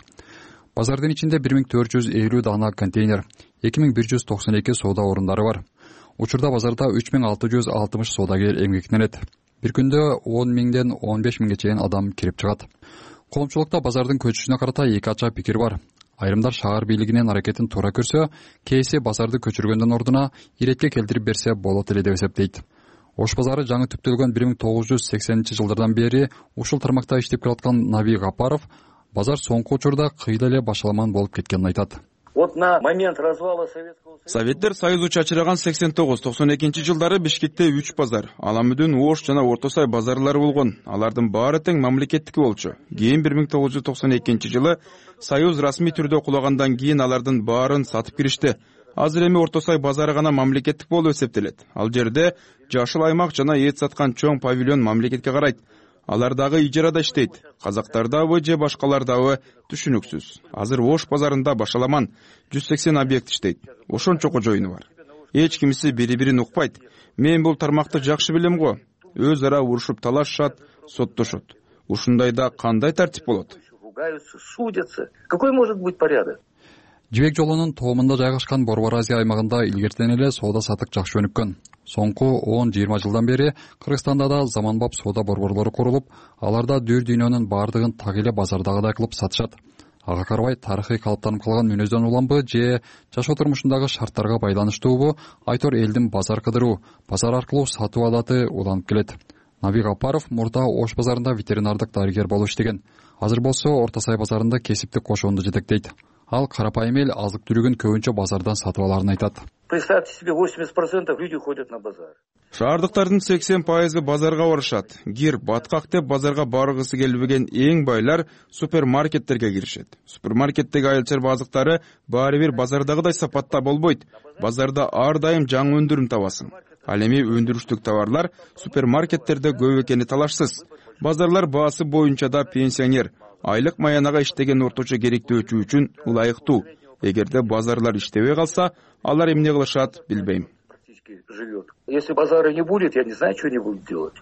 Базардын ичинде бир миң төрт жүз элүү даана контейнер, эки миң бир жүз токсон эки соода орундары бар. Учурда базарда үч миң алты жүз алтымыш соодагер эмгектенет. Бир күндө он миңден он беш миңге чейин адам кирип чыгат. Коомчулукта базардын көчүшүнө карата эки ача пикир бар. Айрымдар шаар бийлигинин аракетин туура көрсө, кээси базарды көчүргөндөн ордуна иретке келтирип берсе болот эле деп эсептейт. Ош базары жаңы түптөлгөн бир миң тогуз жүз сексенинчи жылдардан бери ушул тармакта иштеп келаткан Наби Гапаров базар соңку учурда кыйла эле башаламан болуп кеткенин айтат. Вот на момент развала Советского Союза Советтер Союзу чачыраган сексен тогуз токсон экинчи жылдары Бишкекте үч базар, Аламүдүн, Ош жана Орто Сай базарлары болгон. Алардын баары тең мамлекеттики болчу. Кийин бир миң тогуз жүз токсон экинчи жылы Союз расмий түрдө кулагандан кийин алардын баарын сатып киришти. Азыр эми Орто Сай базары гана мамлекеттик болуп эсептелет. Ал жерде жашыл аймак жана эт саткан чоң павильон мамлекетке карайт. Алар дагы ижарада иштейт. Казактардабы же башкалардабы түшүнүксүз. Азыр Ош базарында башаламан жүз сексен объект иштейт. Ошончо кожоюну бар. Эч кимиси бири-бирин укпайт. Мен бул тармакты жакшы билем го. Өз ара урушуп талашышат, соттошот. Ушундайда кандай тартип болот? Судятся. Какой может быть порядок? Жибек жолунун тоомунда жайгашкан Борбор Азия аймагында илгертен эле соода сатык жакшы өнүккөн. Соңку он жыйырма жылдан бери Кыргызстанда да заманбап соода борборлору курулуп, аларда дүр дүйнөнүн баардыгын так эле базардагыдай кылып сатышат. Ага карабай тарыхый калыптанып калган мүнөздөн уламбы же жашоо турмушундагы шарттарга байланыштуубу айтор элдин базар кыдыруу, базар аркылуу сатуу адаты уланып келет. Наби Гапаров мурда Ош базарында ветеринардык дарыгер болуп иштеген. Азыр болсо Орто Сай базарында кесиптик кошоонду жетектейт. Ал карапайым эл азык түлүгүн көбүнчө базардан сатып аларын айтат. Представьте себе, восемьдесят процентов люди ходят на базар. Шаардыктардын сексен пайызы базарга барышат. Гир, баткак деп базарга баргысы келбеген эң байлар супермаркеттерге киришет. Супермаркеттеги айыл-чарба азыктары баары бир базардагыдай сапатта болбойт. Базарда ар дайым жаңы өндүрүм табасың. Ал эми өндүрүштүк товарлар супермаркеттерде көп экени талашсыз. Базарлар баасы боюнча да пенсионер, айлык маянага иштеген орточо керектөөчү үчүн ылайыктуу. Эгерде базарлар иштебей калса, алар эмне кылышат билбейм. Если базара не будет, я не знаю, что они будут делать.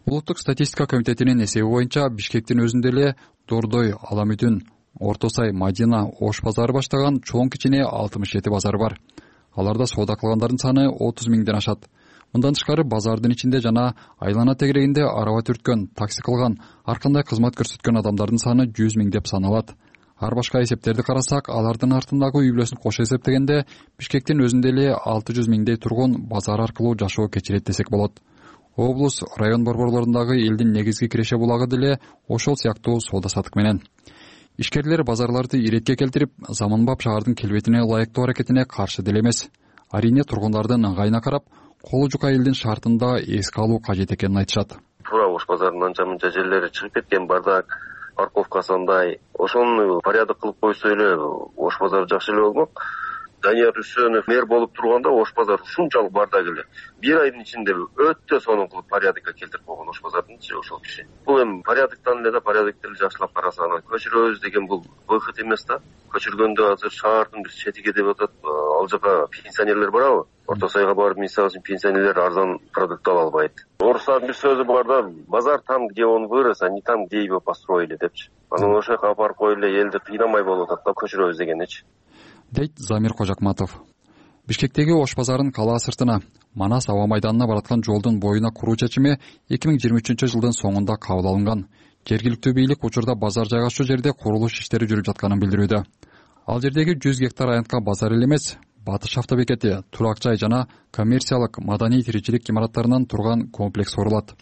Улуттук статистика комитетинин эсеби боюнча Бишкектин өзүндө эле Дордой, Аламүдүн, Орто Сай, Мадина, Ош базары баштаган чоң кичине алтымыш жети базар бар. Аларда соода кылгандардын саны отуз миңден ашат. Мындан тышкары базардын ичинде жана айлана тегерегинде араба түрткөн, такси кылган, ар кандай кызмат көрсөткөн адамдардын саны жүз миң деп саналат. Ар башка эсептерди карасак, алардын артындагы үй бүлөсүн кошо эсептегенде Бишкектин өзүндө эле алты жүз миңдей тургун базар аркылуу жашоо кечирет десек болот. Облус, район борборлорундагы элдин негизги киреше булагы деле ошол сыяктуу соода сатык менен. Ишкерлер базарларды иретке келтирип, заманбап шаардын келбетине ылайыктуу аракетине каршы деле эмес. Арине тургундардын ыңгайына карап, колу жука элдин шартында эске алуу кажет экенин айтышат. Туура Ош базарынын анча-мынча жерлери чыгып кеткен, бардак, парковкасы андай. Ошону порядок кылып койсо эле Ош базары жакшы эле болмок. Данияр Үсөнов мэр болуп турганда Ош базары ушунчалык бардак эле. Бир айдын ичинде өтө сонун кылып порядокко келтирип койгон Ош базардынчы ошол киши. Бул эми порядоктон эле да порядокты эле жакшылап караса, анан көчүрөбүз деген бул выход эмес да. Көчүргөндө азыр шаардын бир четиги деп атат, ал жака пенсионерлер барабы? Орто Сайга барып, мисалы үчүн пенсионерлер арзан продукт ала албайт. Орустардын бир сөзү бар да, базар там, где он вырос, а не там, где его построили депчи. Анан ошол жака апарып коюп эле элди кыйнамай болуп атат да, көчүрөбүз дегеничи. Дейт Замир Кожакматов. Бишкектеги Ош базарын калаа сыртына, Манас аба майданына бараткан жолдун боюна куруу чечими эки миң жыйырма үчүнчү жылдын соңунда кабыл алынган. Жергиликтүү бийлик учурда базар жайгашуу жерде курулуш иштери жүрүп жатканын билдирүүдө. Ал жердеги жүз гектар аянтка базар эле эмес, Батыш автобекети, турак жай жана коммерциялык маданий тиричилик имараттарынан турган комплекс курулат.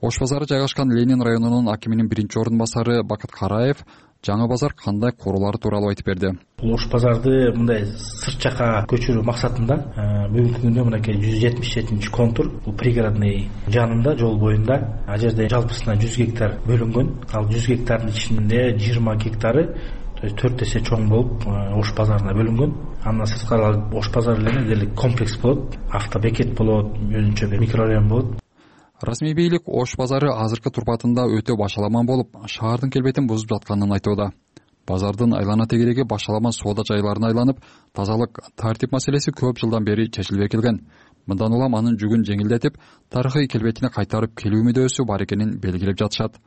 Ош базары жайгашкан Ленин районунун акиминин биринчи ордун басары Бакыт Караев жаңы базар кандай курулары тууралуу айтып берди. Ош базарды мындай сырт жака көчүрүү максатында бүгүнкү күндө мынакей жүз жетимиш жетинчи контур, бул пригородный жанында, жол боюнда. Ал жерде жалпысынан жүз гектар бөлүнгөн. Ал жүз гектардын ичинде жыйырма гектары төрт эсе чоң болуп Ош базарына бөлүнгөн. Андан сырткары Ош базары эле дерлик комплекс болот, автобекет болот, өзүнчө бир микрорайон болот. Расмий бийлик Ош базары азыркы турпатында өтө башаламан болуп, шаардын келбетин бузуп жатканын айтууда. Базардын айлана тегереги башаламан соода жайларына айланып, тазалык, тартип маселеси көп жылдан бери чечилбей келген. Мындан улам анын жүгүн жеңилдетип, тарыхый келбетине кайтарып келүү мүдөөсү бар экенин белгилеп жатышат.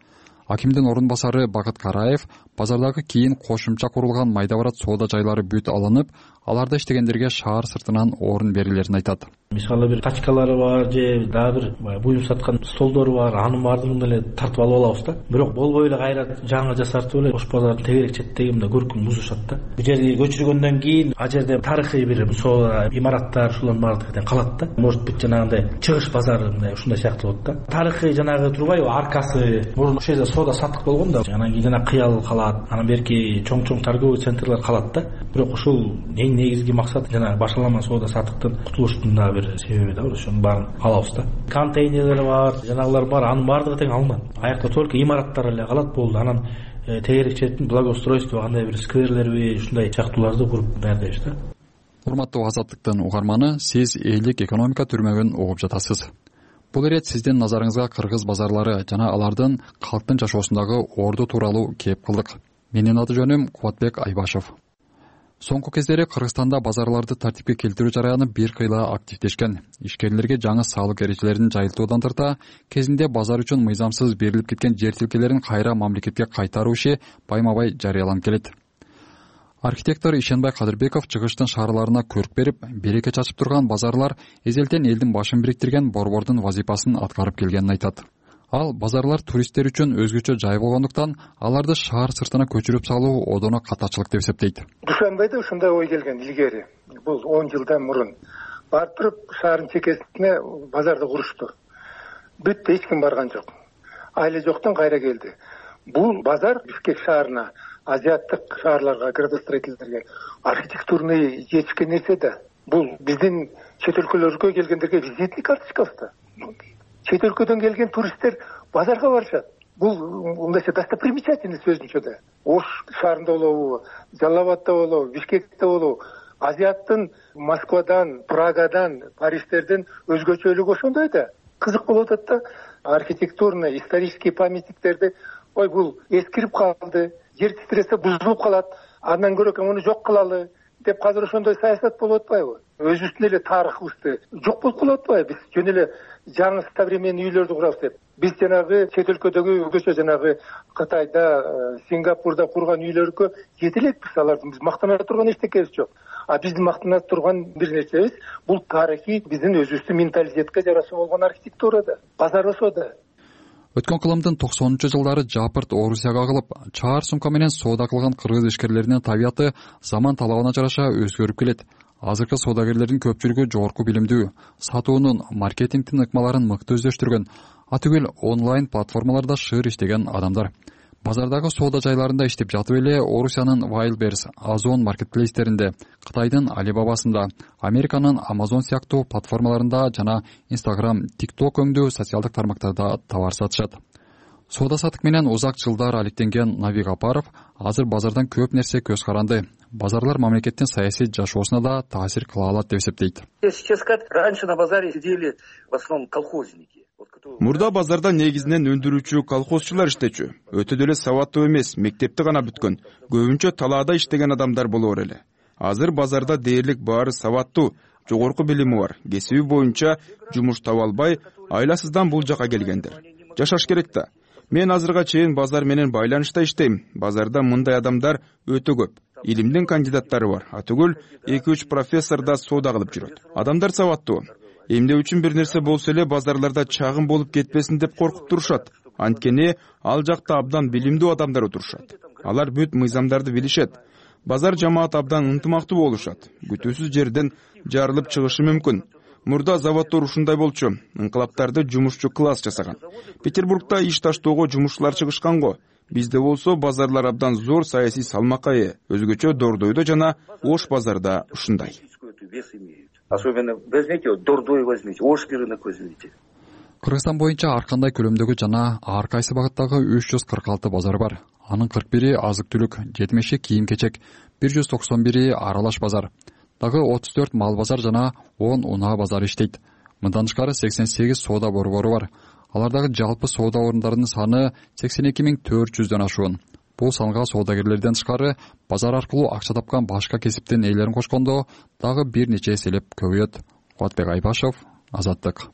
Акимдин ордун басары Бакыт Караев базардагы кийин кошумча курулган майда барат соода жайлары бүт алынып, аларда иштегендерге шаар сыртынан орун берилерин айтат. Мисалы бир тачкалары бар же дагы бир буюм саткан столдору бар, анын баардыгын эле тартып алып алабыз да. Бирок болбой эле кайра жаңы жасартып эле Ош базардын тегерек четтеги мындай көркүн бузушат да. Бул жерди көчүргөндөн кийин ал жерде тарыхый бир соода имараттар ушулардын баардыгы калат да. Может быть жанагындай чыгыш базары мындай ушундай сыяктуу болот да. Тарыхый жанагы турбайбы, аркасы мурун ошол жерде соода саттык болгон да. Анан кийин жана кыял калат, анан берки чоң-чоң торговый центрлер калат да. Бирок ушул эң негизги максат жана башаламан соода саттыктан кутулуштун да бир себеби да, ошонун баарын алабыз да. Контейнерлер бар, жанагылар бар, анын баардыгы тең алынат. Аякта только имараттар эле калат болду. Анан тегерек четтин благоустройство кандай бир скверлерби, ушундай сыяктууларды куруп даярдайбыз да. Урматтуу Азаттыктын угарманы, сиз элдик экономика түрмөгүн угуп жатасыз. Бул ирет сиздин назарыңызга кыргыз базарлары жана алардын калктын жашоосундагы орду тууралуу кеп кылдык. Менин аты жөнүм Кубатбек Айбашев. Соңку кездери Кыргызстанда базарларды тартипке келтирүү жараяны бир кыйла активдешкен. Ишкерлерге жаңы салык эрежелерин жайылтуудан тарта, кезинде базар үчүн мыйзамсыз берилип кеткен жер тилкелерин кайра мамлекетке кайтаруу иши байма-бай жарыяланып келет. Архитектор Ишенбай Кадырбеков чыгыштын шаарларына көрк берип, береке чачып турган базарлар эзелтен элдин башын бириктирген борбордун вазифасын аткарып келгенин айтат. Ал базарлар туристтер үчүн өзгөчө жай болгондуктан аларды шаар сыртына көчүрүп салуу одоно катачылык деп эсептейт. Душанбайда ушундай ой келген илгери. Бул он жылдан мурун барып туруп шаардын чекесине базарды курушту. Бүттү, эч ким барган жок. Айла жоктон кайра келди. Бул базар Бишкек шаарына, азиаттык шаарларга градостроительдерге архитектурный жетишкен нерсе да. Бул биздин чет өлкөлөргө келгендерге визитный карточкабыз да. Чет өлкөдөн келген туристтер базарга барышат. Бул мындайча достопримечательность өзүнчө да. Ош шаарында болобу, Жалал-Абадда болобу, Бишкекте болобу, азиаттын Москвадан, Прагадан, Париждерден өзгөчөлүгү ошондой да. Кызык болуп атат да. Архитектурно исторический памятниктерди, ой бул эскирип калды, жер титиресе бузулуп калат, андан көрө муну жок кылалы деп азыр ошондой саясат болуп атпайбы? Өзүбүздүн эле тарыхыбызды жок болуп калып атпайбы? Биз жөн эле жаңы современный үйлөрдү курабыз деп. Биз жанагы чет өлкөдөгү өзгөчө жанагы Кытайда, Сингапурда курган үйлөргө жете элекпиз. Алардын биз мактана турган эчтекебиз жок. А биздин мактана турган бир нерсебиз бул тарыхый биздин өзүбүздүн менталитетке жараша болгон архитектура да. Базар ошо да. Өткөн кылымдын токсонунчу жылдары Жапырт Орусияга кылып, чаар сумка менен соода кылган кыргыз ишкерлеринин табияты заман талабына жараша өзгөрүп келет. Азыркы соодагерлердин көпчүлүгү жогорку билимдүү, сатуунун, маркетингдин ыкмаларын мыкты өздөштүргөн, атүгүл онлайн платформаларда шыр иштеген адамдар. Базардагы соода жайларында иштеп жатып эле Орусиянын Wildberries, Озон маркетплейстеринде, Кытайдын Alibabасында, Американын Amazon сыяктуу платформаларында жана Instagram, TikTok өңдүү социалдык тармактарда товар сатышат. Соода саттык менен узак жылдар алектенген Навик Апаров азыр базардан көп нерсе көз каранды. Базарлар мамлекеттин саясий жашоосуна да таасир кыла алат деп эсептейт. Сейчас сказать, раньше на базаре сидели в основном колхозники. Мурда базарда негизинен өндүрүүчү колхозчулар иштечү. Өтө деле сабаттуу эмес, мектепти гана бүткөн, көбүнчө талаада иштеген адамдар болор эле. Азыр базарда дээрлик баары сабаттуу, жогорку билими бар, кесиби боюнча жумуш таба албай, айласыздан бул жака келгендер. Жашаш керек да. Мен азырга чейин базар менен байланышта иштейм. Базарда мындай адамдар өтө көп. Илимдин кандидаттары бар. Атүгүл эки үч профессор да соода кылып жүрөт. Адамдар сабаттуу. Эмне үчүн бир нерсе болсо эле базарларда чагым болуп кетпесин деп коркуп турушат. анткени ал жакта абдан билимдүү адамдар отурушат. Алар бүт мыйзамдарды билишет. Базар жамаат абдан ынтымактуу болушат. Күтүүсүз жерден жарылып чыгышы мүмкүн. Мурда заводдор ушундай болчу. Инкылаптарды жумушчу класс жасаган. Петербургда иш таштоого жумушчулар чыгышкан го. Бизде болсо базарлар абдан зор саясий салмакка ээ. Өзгөчө Дордойдо жана Ош базарда ушундай. Особенно возьмите, Дордой возьмите, Ош рынок возьмите. Кыргызстан боюнча ар кандай көлөмдөгү жана ар кайсы багыттагы үч жүз кырк алты базар бар. Анын кырк бири азык-түлүк, жетимиши кийим-кечек, бир жүз токсон бири аралаш базар. Дагы отуз төрт мал базар жана он унаа базар иштейт. Мындан тышкары сексен сегиз соода борбору бар. Алардагы жалпы соода орундарынын саны сексен эки миң төрт жүздөн ашуун. Бул санга соодагерлерден тышкары базар аркылуу акча тапкан башка кесиптин ээлерин кошкондо дагы бир нече эселеп көбөйөт. Кубатбек Айбашев, Азаттык.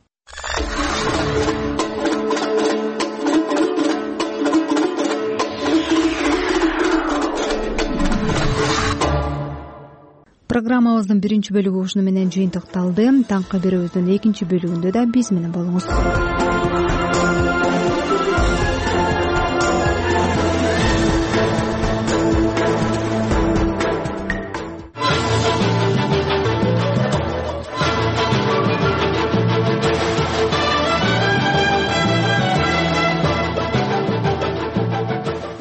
Программабыздын биринчи бөлүгү ушуну менен жыйынтыкталды. Таңкы берүүбүздүн экинчи бөлүгүндө да биз менен болуңуз.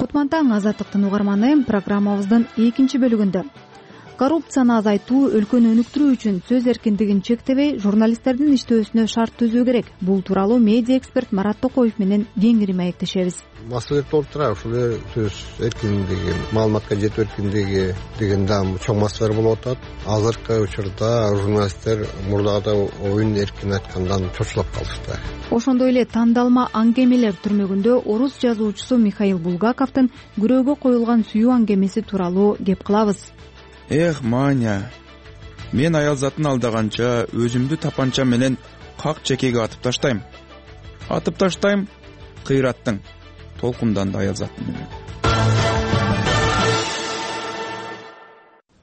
Кутман Азаттыктын угарманы программабыздын экинчи бөлүгүндө коррупцияны азайтуу, өлкөнү өнүктүрүү үчүн сөз эркиндигин чектебей, журналисттердин иштөөсүнө шарт түзүү керек. Бул тууралуу медиа эксперт Марат Токоев менен кеңири маектешебиз. Маселе болуп турат, ушул сөз эркиндиги, маалыматка жетүү эркиндиги деген да чоң маселе болуп атат. Азыркы учурда журналисттер мурдагыдай оюн эркин айткандан чочулап калышты. Ошондой эле тандалма аңгемелер түрмөгүндө орус жазуучусу Михаил Булгаковдун күрөөгө коюлган сүйүү аңгемеси тууралуу кеп кылабыз. Эх, Маня, мен аял затын алдаганча өзүмдү тапанча менен как чекеге атып таштайм. Атып таштайм кыйраттың, толкундан да аял затын менен.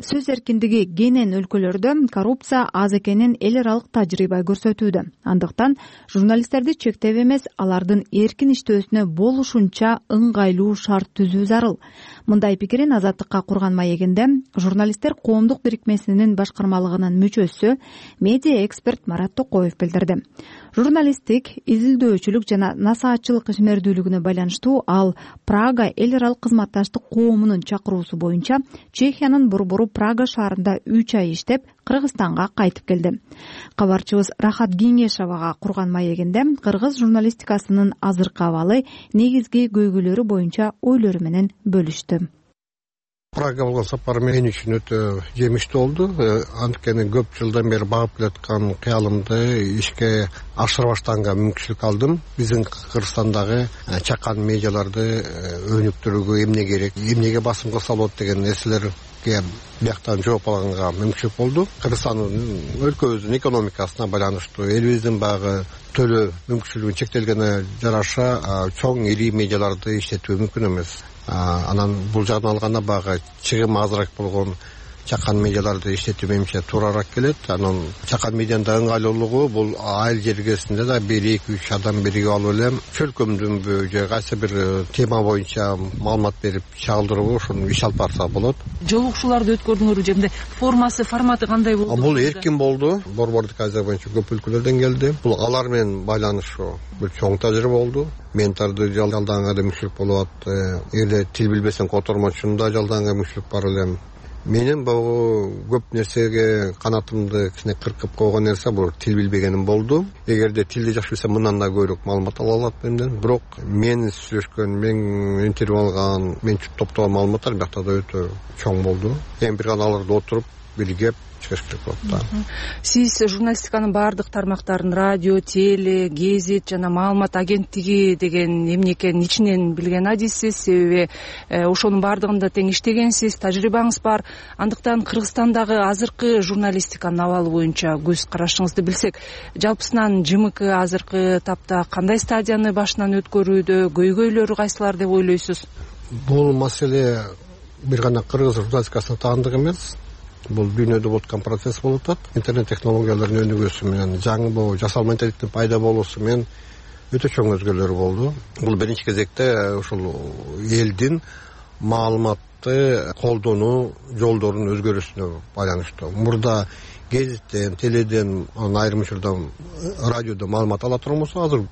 Сөз эркиндиги кенен өлкөлөрдө коррупция аз экенин эл аралык тажрыйба көрсөтүүдө. Андыктан журналисттерди чектеп эмес, алардын эркин иштөөсүнө болушунча ыңгайлуу шарт түзүү зарыл. Мындай пикирин Азаттыкка курган маегинде журналисттер коомдук бирикмесинин башкармалыгынын мүчөсү, медиа эксперт Марат Токоев билдирди. Журналисттик, изилдөөчүлүк жана насаатчылык ишмердүүлүгүнө байланыштуу ал Прага эл аралык кызматташтык коомунун чакыруусу боюнча Чехиянын борбору Прага шаарында үч ай иштеп, Кыргызстанга кайтып келди. Кабарчыбыз Рахат Кеңешовага курган маегинде кыргыз журналистикасынын азыркы абалы, негизги көйгөйлөрү боюнча ойлору менен бөлүштү. Прага болгон сапар мен үчүн өтө жемиштүү болду. Анткени көп жылдан бери багып келаткан кыялымды ишке ашырбаштаганга мүмкүнчүлүк алдым. Биздин Кыргызстандагы чакан медиаларды өнүктүрүүгө эмне керек, эмнеге басым кылса болот деген нерселерге бияктан жооп алганга мүмкүнчүлүк болду. Кыргызстандын өлкөбүздүн экономикасына байланыштуу, элибиздин баягы төлөө мүмкүнчүлүгү чектелгенине жараша чоң ири медиаларды иштетүү мүмкүн эмес. Анан бул жагдан алганда баягы чыгым азыраак болгон чакан медиаларды иштетүү менимче туурараак келет. Анан чакан медианын да ыңгайлуулугу бул айыл жергесинде да бир эки үч адам биригип алып эле чөлкөмдүнбү же кайсы бир тема боюнча маалымат берип чагылдырууга ошону иш алып барса болот. Жолугушууларды өткөрдүңөрбү же мындай формасы, форматы кандай болду? Бул эркин болду. Борбордук Азия боюнча көп өлкөлөрдөн келди. Бул алар менен байланышуу бул чоң тажрыйба болду. Ментарды жалданганга да мүмкүнчүлүк болуп атты. Эгерде тил билбесең котормочуну да жалданганга мүмкүнчүлүк бар элем. Менин бул көп нерсеге канатымды кичине кыркып койгон нерсе бул тил билбегеним болду. Эгерде тилди жакшы билсем, мындан да көбүрөөк маалымат ала алат менден. Бирок мен сүйлөшкөн, мен интервью алган, мен топтогон маалыматтар биякта да өтө чоң болду. Эми бир гана аларды отуруп биригип чыгыш керек болот да. Сиз журналистиканын баардык тармактарын, радио, теле, гезит жана маалымат агенттиги деген эмне экенин ичинен билген адиссиз, себеби ошонун баардыгында тең иштегенсиз, тажрыйбаңыз бар. Андыктан Кыргызстандагы азыркы журналистиканын абалы боюнча көз карашыңызды билсек, жалпысынан ЖМК азыркы тапта кандай стадияны башынан өткөрүүдө, көйгөйлөрү кайсылар деп ойлойсуз? Бул маселе бир гана кыргыз журналистикасына таандык эмес. Бул дүйнөдө болуп аткан процесс болуп атат. Интернет технологияларынын өнүгүүсү менен, жаңы бул жасал менталитеттин пайда болуусу менен өтө чоң өзгөрүүлөр болду. Бул биринчи кезекте ушул элдин маалыматты колдонуу жолдорунун өзгөрүүсүнө байланыштуу. Мурда гезиттен, теледен, айрым учурда радиодон маалымат ала турган болсо, азыр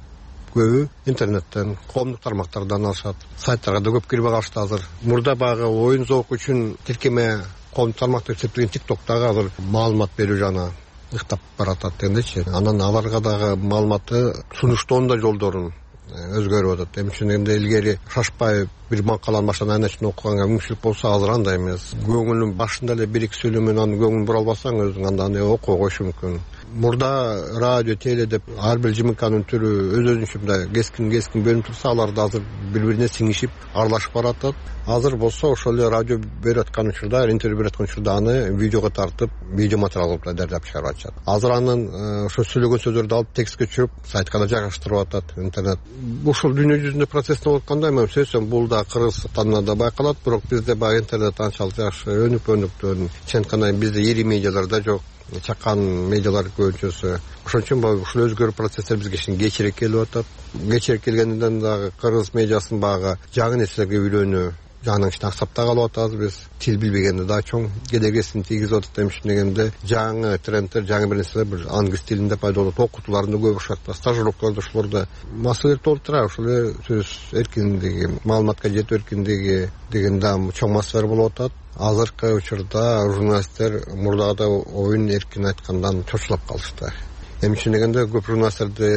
көбү интернеттен, коомдук тармактардан алышат. Сайттарга да көп кирип алышты азыр. Мурда багы оюн зоок үчүн тиркеме коомдук тармак деп эсептелген тиктоктагы азыр маалымат берүү жана ыктап баратат дегендечи. Анан аларга дагы маалыматты сунуштоонун да жолдорун өзгөрүп атат. Эми ошондо илгери шашпай бир макаланы баштан аягына чейин окуганга мүмкүнчүлүк болсо, азыр андай эмес. Көңүлүн башында эле бир эки сүйлөм менен анын көңүлүн бура албасаң, өзүң анда окуй коюш мүмкүн. Мурда радио, теле деп ар бир жымыканын түрү өз өзүнчө мындай кескин кескин бөлүнүп турса, алар да азыр бири бирине сиңишип аралашып баратат. Азыр болсо ошол эле радио берип аткан учурда, интервью берип аткан учурда аны видеого тартып, видео материал кылып даярдап чыгарып атышат. Азыр анын ошо сүйлөгөн сөздөрдү алып текстке түшүрүп, сайтка да жайгаштырып атат интернет. Ушул дүйнө жүзүндө процесс болуп атканда, мен сөзсөм бул да Кыргызстанда да байкалат, бирок бизде баягы интернет анчалык жакшы өнүк өнүктү. Чын айтканда бизде ири медиалар да жок, чакан медиалар көбүнчөсү. Ошон үчүн ушул өзгөрүү процесстер бизге кичине кечирээк келип атат. Кечирээк келгенден дагы кыргыз медиасын багы жаңы нерселерге үйрөнүү жагынан кичине аксап да калып атабыз биз. Тил билбегенде да чоң кедергисин тийгизип атат. Эми дегенде жаңы трендтер, жаңы бир нерселер бир англис тилинде пайда болот. Окутууларында көп ушат, стажировкаларда ушуларда маселелер толуп турат. Ошол эле сөз эркиндиги, маалыматка жетүү эркиндиги деген да чоң маселелер болуп атат. Азыркы учурда журналисттер мурдагыдай оюн эркин айткандан чочулап калышты. Эми дегенде көп журналисттерди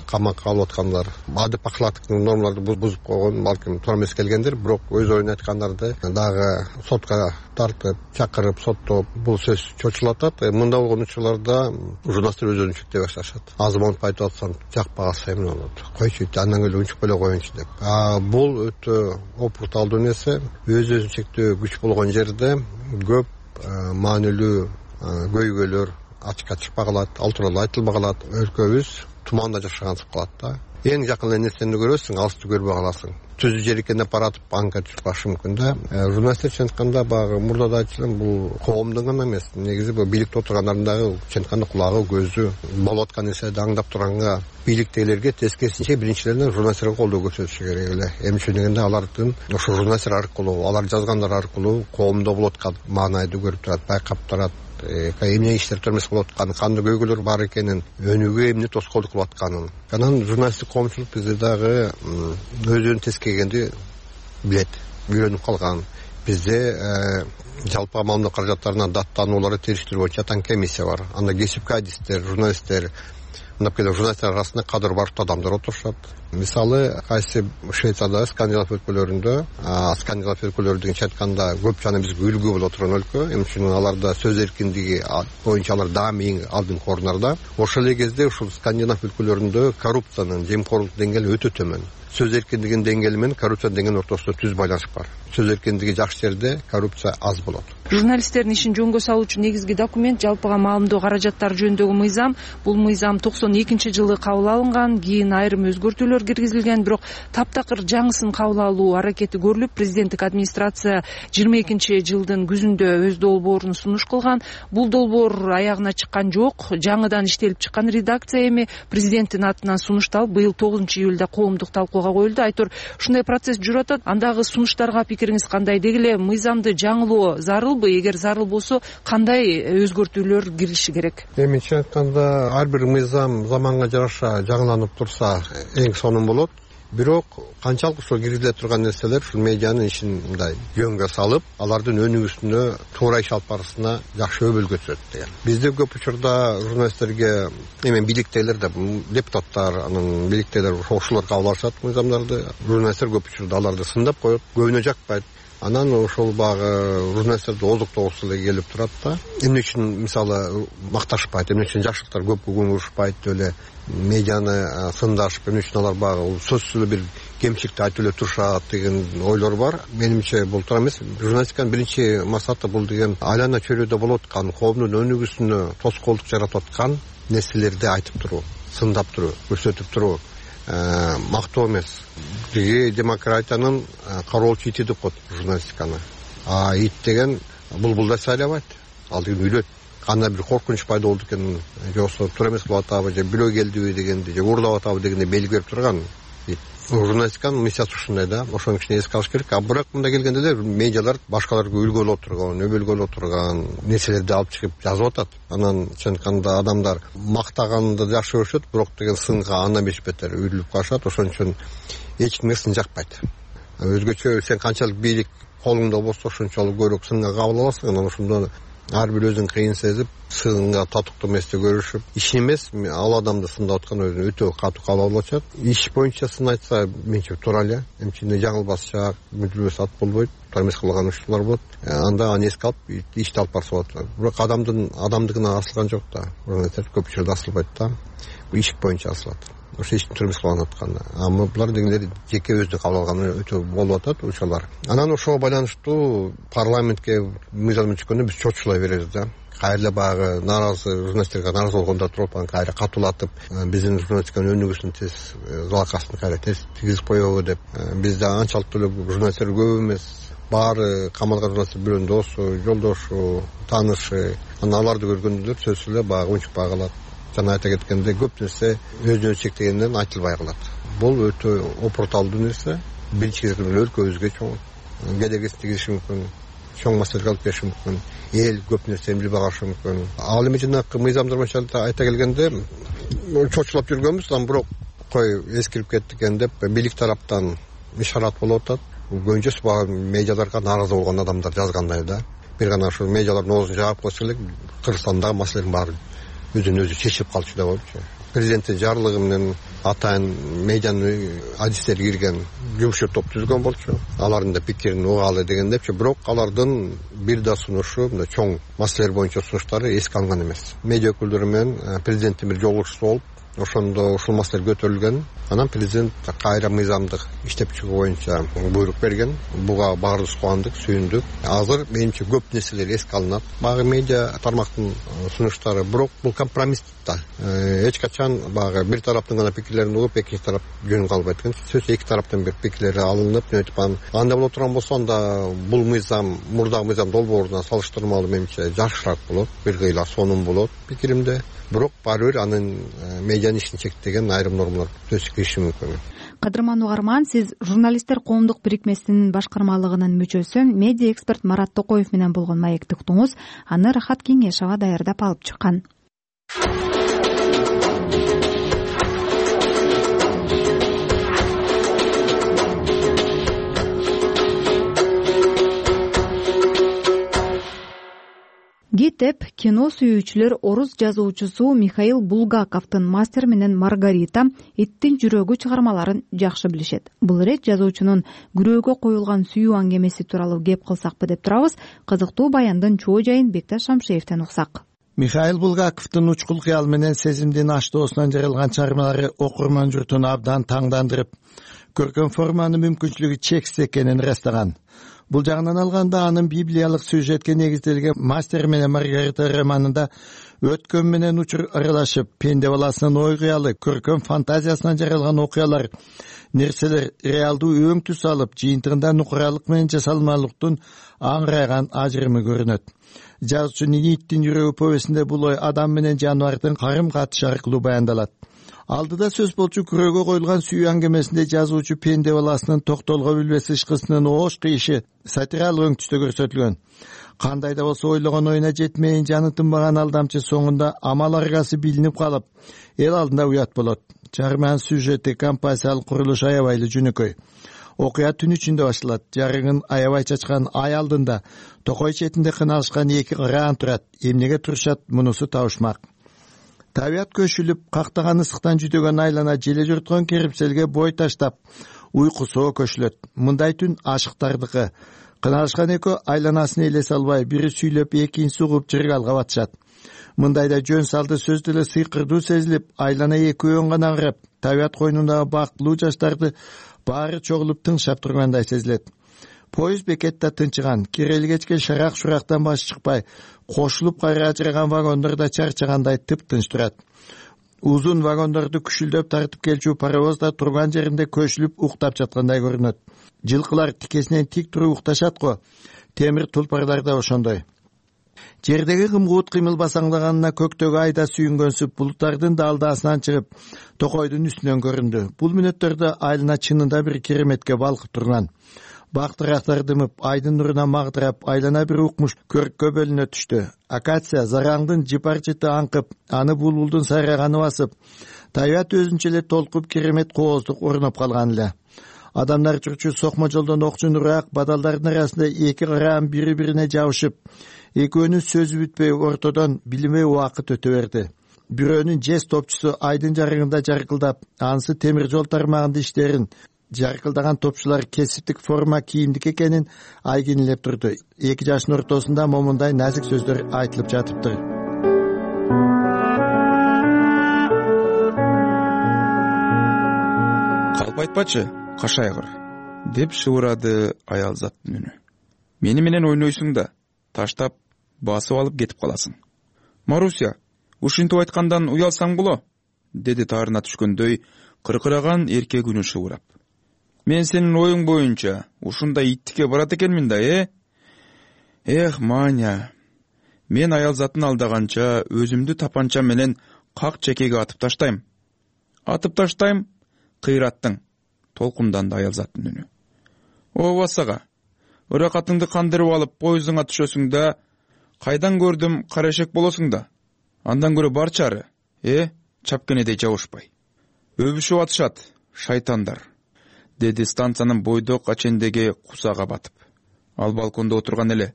камакка алып аткандар, адеп акылаттык нормаларды бузуп койгон, балким туура эмес келгендер, бирок өз оюн айткандарды дагы сотко тартып, чакырып, соттоп, бул сөз чочулатат. Мындай болгон учурларда журналисттер өз өзүн чектей башташат. Азманып айтып атсам, жакпай калса эми болот. Койчу, андан эле унчуп эле коеюнчу деп. А бул өтө опурталдуу нерсе. Өз өзүн чектөө күч болгон жерде көп маанилүү көйгөйлөр ачыкка чыкпай калат, ал тууралуу айтылбай калат. Өлкөбүз туманда жашагансып калат да. Эң жакын эле нерсени көрөсүң, алысты көрбөй каласың. Түзү жер экенде баратып аңка түшүп калышы мүмкүн да. Журналисттер чын айтканда багы мурда да айтылган, бул коомдун гана эмес, негизи бул бийликте отургандардын дагы чын айтканда кулагы, көзү, болуп аткан нерселерди аңдап турганга бийликтегилерге тескерисинче биринчилерден журналисттерге колдоо көрсөтүшү керек эле. Эми дегенде алардын ошо журналисттер аркылуу, алар жазгандар аркылуу коомдо болуп аткан маанайды көрүп турат, байкап турат. Эмне иштер төрмөс болуп атканын, кандай көйгөйлөр бар экенин, өнүгүүгө эмне тоскоолдук кылып атканын. Анан журналисттик коомчулук бизде дагы өзүнүн тескегенди билет, үйрөнүп калган. Бизде жалпы маалымат каражаттарына даттанууларды териштирүү боюнча атаң комиссия бар. Анда кесипкай адистер, журналисттер, мындап келе журналисттер арасында кадыр барктуу адамдар отурушат. Мисалы, кайсы Швецияда, Скандинав өлкөлөрүндө, Скандинав өлкөлөрү дегенче айтканда көп жана бизге үлгү боло турган өлкө. Эми үчүн аларда сөз эркиндиги боюнча алар даами эң алдыңкы орундарда. Ошол эле кезде ушул Скандинав өлкөлөрүндө коррупциянын, жемкорлук деңгээли өтө төмөн. Сөз эркиндигинин деңгээли менен коррупция деңгээлинин ортосунда түз байланыш бар. Сөз эркиндиги жакшы жерде коррупция аз болот. Журналисттердин ишин жөнгө салуучу негизги документ жалпыга маалымдоо каражаттары жөнүндөгү мыйзам. Бул мыйзам токсон экинчи жылы кабыл алынган, кийин айрым өзгөртүүлөр киргизилген, бирок таптакыр жаңысын кабыл алуу аракети көрүлүп, президенттик администрация жыйырма экинчи жылдын күзүндө өз долбоорун сунуш кылган. Бул долбоор аягына чыккан жок. Жаңыдан иштелип чыккан редакция эми президенттин атынан сунушталып, быйыл тогузунчу июлда коомдук талкууга коюлду. Айтор, ушундай процесс жүрүп атат. Андагы сунуштарга пикириңиз кандай? Деги эле мыйзамды жаңылоо зарылбы? Эгер зарыл болсо, кандай өзгөртүүлөр кириши керек? Эми чын айтканда, ар бир мыйзам заманга жараша жаңыланып турса, эң сонун болот. Бирок канчалык ошо киргизиле турган нерселер ушул медианын ишин мындай жөнгө салып, алардын өнүгүүсүнө, туура иш алып барышына жакшы өбөлгө түзөт деген. Бизде көп учурда журналисттерге эми бийликтегилер да, депутаттар, анан бийликтегилер ошолор кабыл алышат мыйзамдарды. Журналисттер көп учурда аларды сындап коет, көбүнө жакпайт. Анан ошол багы журналисттерди оздуктогусу эле келип турат да. Эмне үчүн мисалы макташпайт, эмне үчүн жакшылыктар көп көңүл бурушпайт эле медианы сындашып, эмне үчүн алар багы сөзсүз эле бир кемчиликти айтып эле турушат деген ойлор бар. Менимче бул туура эмес. Журналистиканын биринчи максаты бул деген айлана чөйрөдө болуп аткан, коомдун өнүгүүсүнө тоскоолдук жаратып аткан нерселерди айтып туруу, сындап туруу, көрсөтүп туруу. Мактоо эмес. Биги демократиянын кароолчу ити деп коет журналистиканы. А ит деген булбулдай сайлабайт. Ал деген үйлөт. кандай бир коркунуч пайда болду экен, же болбосо туура эмес кылып атабы, же бирөө келдиби дегенди, же уурдап атабы дегенди белги берип турган. Журналистиканын миссиясы ушундай да, ошону кичине эске алыш керек. А бирок мындай келгенде деле медиалар башкаларга үлгү боло турган, өбөлгө боло турган нерселерди алып чыгып жазып атат. Анан чын айтканда адамдар мактаганды жакшы көрүшөт, бирок деген сынга андан беш бетер үйрүлүп калышат. Ошон үчүн эч кимге сын жакпайт. Өзгөчө сен канчалык бийлик колуңда болсо ошончолук көбүрөөк сынга кабыл аласың. Анан ошондо ар бир өзүн кыйын сезип, сынга татыктуу эмести көрүшүп, иш эмес, ал адамды сындап аткан өзүн өтө катуу кабыл алып атышат. Иш боюнча сын айтса, менче туура эле. Эмчене жаңылбашча, мүдүрбөс ат болбойт, туура эмес кылган учурлар болот. Анда аны эске алып, ишти алып барса болот. Бирок адамдын адамдыгына асылган жок да. Көп учурда асылбайт да. Бул иш боюнча асылат. Ошо эч туура эмес кылган атканда. А булар дегендер жеке өзү кабыл алганы өтө болуп атат учурлар. Анан ошого байланыштуу парламентке мыйзам чыкканда биз чочулай беребиз да. Кайра баягы нааразы журналисттерге нааразы болгондор туруп, анан кайра катуулатып, биздин журналистиканын өнүгүүсүн тез залакасын кайра тез тийгизип коебу деп. Бизде анчалык эле журналисттер көп эмес. Баары камалган журналисттер бирөөнүн досу, жолдошу, таанышы. Анан аларды көргөндө сөзсүз эле баягы унчукпай калат. Жана айта кеткенде көп нерсе өзүнө чектегенден айтылбай калат. Бул өтө опурталдуу нерсе. Биринчи кезекте өлкөбүзгө чоң кедергисин тийгизиши мүмкүн, чоң маселеге алып келиши мүмкүн, эл көп нерсени билбей калышы мүмкүн. Ал эми жанагы мыйзамдар боюнча айта келгенде чочулап жүргөнбүз, анан бирок кой эскирип кетти экен деп бийлик тараптан ишарат болуп атат. Көбүнчөсү баягы медиаларга нааразы болгон адамдар жазгандай да. Бир гана ошо медиалардын оозун жаап койсо эле Кыргызстандагы маселенин баары өзүн өзү чечип калчу деп ойлойчу. Президенттин жарлыгы менен атайын медианын адистери кирген жумушчу топ түзгөн болчу. Алардын да пикирин угалы дегендепчи, бирок алардын бир да сунушу, мындай чоң маселелер боюнча сунуштары эске алынган эмес. Медиа өкүлдөрү менен президенттин бир жолугушуусу болуп, ошондо ушул маселе көтөрүлгөн. Анан президент кайра мыйзамдык иштеп чыгуу боюнча буйрук берген. Буга баарыбыз кубандык, сүйүндүк. Азыр менимче көп нерселер эске алынат. Багы медиа тармактын сунуштары, бирок бул компромисс да. Эч качан багы бир тараптын гана пикирлерин угуп, экинчи тарап жөнүн калбайт экен. Сөзсүз эки тараптан бир пикирлери алынып, өтүп анан андай боло турган болсо, анда бул мыйзам мурдагы мыйзам долбооруна салыштырмалуу менимче жакшыраак болот. Бир кыйла сонун болот пикиримде. Бирок баары бир анын медианын ишин чектеген айрым нормалар сөзсүз кириши мүмкүн. Кадырман Угарман, сиз журналисттер коомдук бирикмесинин башкармалыгынын мүчөсү, медиа эксперт Марат Токоев менен болгон маекти уктуңуз. Аны Рахат Кеңешова даярдап алып чыккан. Гитеп кино сүйүүчүлөр орус жазуучусу Михаил Булгаковдун «Мастер менен Маргарита», «Иттин жүрөгү» чыгармаларын жакшы билишет. Бул ирет жазуучунун күрөөгө коюлган сүйүү аңгемеси тууралуу кеп кылсакпы деп турабыз. Кызыктуу баяндын чоо жайын Бекташ Шамшеевден уксак. Михаил Булгаковдун учкул кыял менен сезимдин аштоосунан жаралган чыгармалары окурман журтун абдан таңдандырып, көркөм форманын мүмкүнчүлүгү чексиз экенин ырастаган. Бул жагынан алганда анын библиялык сюжетке негизделген «Мастер менен Маргарита» романында өткөн менен учур аралашып, пенде баласынын ой кыялы, көркөм фантазиясынан жаралган окуялар, нерселер реалдуу өң түс алып, жыйынтыгында нукуралык менен жасалмалыктын аңырайган ажырымы көрүнөт. Жазуучунун «Иттин жүрөгү» повестинде бул ой адам менен жаныбардын карым катышы аркылуу баяндалат. Алдыда сөз болчу күрөөгө коюлган сүйүү аңгемесинде жазуучу пенде баласынын токтолго билбес ышкысынын оош кыйышы сатиралык өң түстө көрсөтүлгөн. Кандай да болсо ойлогон оюна жетмейин жаны тынбаган алдамчы соңунда амал аргасы билинип калып, эл алдында уят болот. Чыгарманын сюжети, композициялык курулушу аябай эле жөнөкөй. Окуя түн ичинде башталат. Жарыгын аябай чачкан ай алдында токой четинде кыналышкан эки ыраан турат. Эмнеге турушат, мунусу табышмак. Табият көшүлүп, кактаган ысыктан жүдөгөн айлана желе журткон керипселге бой таштап, уйкусоо көчүлөт. Мындай түн ашыктардыкы. Кыналышкан экөө айланасын элесе албай, бири сүйлөп, экинчиси угуп жыргалга батышат. Мындайда жөн салды сөз деле сыйкырдуу сезилип, айлана экөөн гана ырап, табият койнундагы бактылуу жаштарды баары чогулуп тыңшап тургандай сезилет. Поезд бекетте тынчыган, кирели кечке шарак-шурактан баш чыкпай, кошулуп кайра ажыраган вагондор да чарчагандай тып-тынч турат. Узун вагондорду күшүлдөп тартып келчү паровоз да турган жеринде көчүлүп уктап жаткандай көрүнөт. Жылкылар тикесинен тик туруп укташат го, темир тулпарлар да ошондой. жердеги кымгуут кыймыл басаңдаганына көктөгү айда сүйүнгөнсүп булуттардын далдаасынан чыгып токойдун үстүнөн көрүндү. Бул мүнөттөрдө айылына чынында бир кереметке балкып турган. Бак дырактар дымып, айдын нуруна магдырап, айлана бир укмуш көрккө бөлүнө түштү. Акация зараңдын жыпар-жыты аңкып, аны булбулдун сайраганы басып, табият өзүнчө эле толкуп керемет кооздук орноп калган эле. Адамдар чурчу сокмо жолдон окчун ураак бадалдардын арасында эки караан бири-бирине жабышып, экөөнүн сөзү бүтпөй ортодон билинбей убакыт өтө берди. Бирөөнүн жез топчусу айдын жарыгында жаркылдап, анысы темир жол тармагында иштерин жаркылдаган топчулар кесиптик форма кийимдик экенин айгинелеп турду. Эки жаштын ортосунда момундай назик сөздөр айтылып жатыптыр. Калп айтпачы, кашайгыр, деп шыбырады аял заттын үнү. Мени менен ойнойсуң да, таштап, басып алып кетип каласың. Маруся, ушинтип айткандан уялсаң боло, деди таарына түшкөндөй кыркыраган эркек үнү шыбырап. Мен сенин оюң боюнча ушундай иттикке барат экенмин да, э? Эх, Маня, мен аял затын алдаганча өзүмдү тапанча менен как чекеге атып таштайм. Атып таштайм, кыйраттың, толкунданды аял заттын үнү. Ооба сага, ыракатыңды кандырып алып поездуңа түшөсүң да, кайдан көрдүм карашек болосуң да. Андан көрө бар чары, э, чапкенедей жабышпай. Өбүшүп атышат, шайтандар, деди станциянын бойдок ачендеги кусага батып. Ал балкондо отурган эле.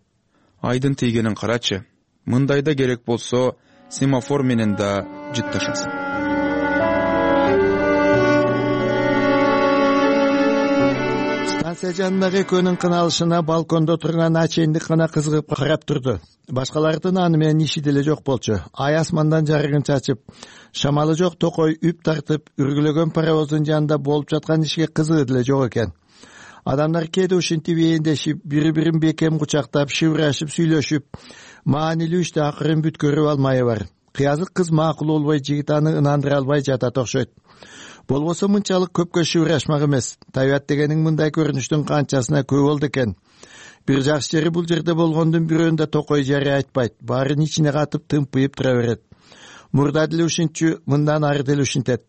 Айдын тийгенин карачы. Мындайда керек болсо, семафор менен да жытташасың. Станция жанындагы экөөнүн кыналышына балкондо турган ачендик гана кызыгып карап турду. Башкалардын аны менен иши деле жок болчу. Ай асмандан жарыгын чачып, шамалы жок токой үп тартып, үргүлөгөн паровоздун жанында болуп жаткан ишке кызыгы деле жок экен. Адамдар кээде ушинтип эендешип, бири-бирин бекем кучактап, шыбырашып, сүйлөшүп, маанилүү иште акырын бүткөрүп алмайы бар. Кыязык кыз макул болбой, жигит аны ынандыра албай жатат окшойт. Болбосо мынчалык көпкө шыбырашмак эмес. Табият дегениң мындай көрүнүштүн канчасына көп болду экен. Бир жакшы жери бул жерде болгондун бирөөндө токой жарый айтпайт. Баарын ичине катып тымпыйып тура берет. Мурда деле ушинчү, мындан ары деле ушинтет.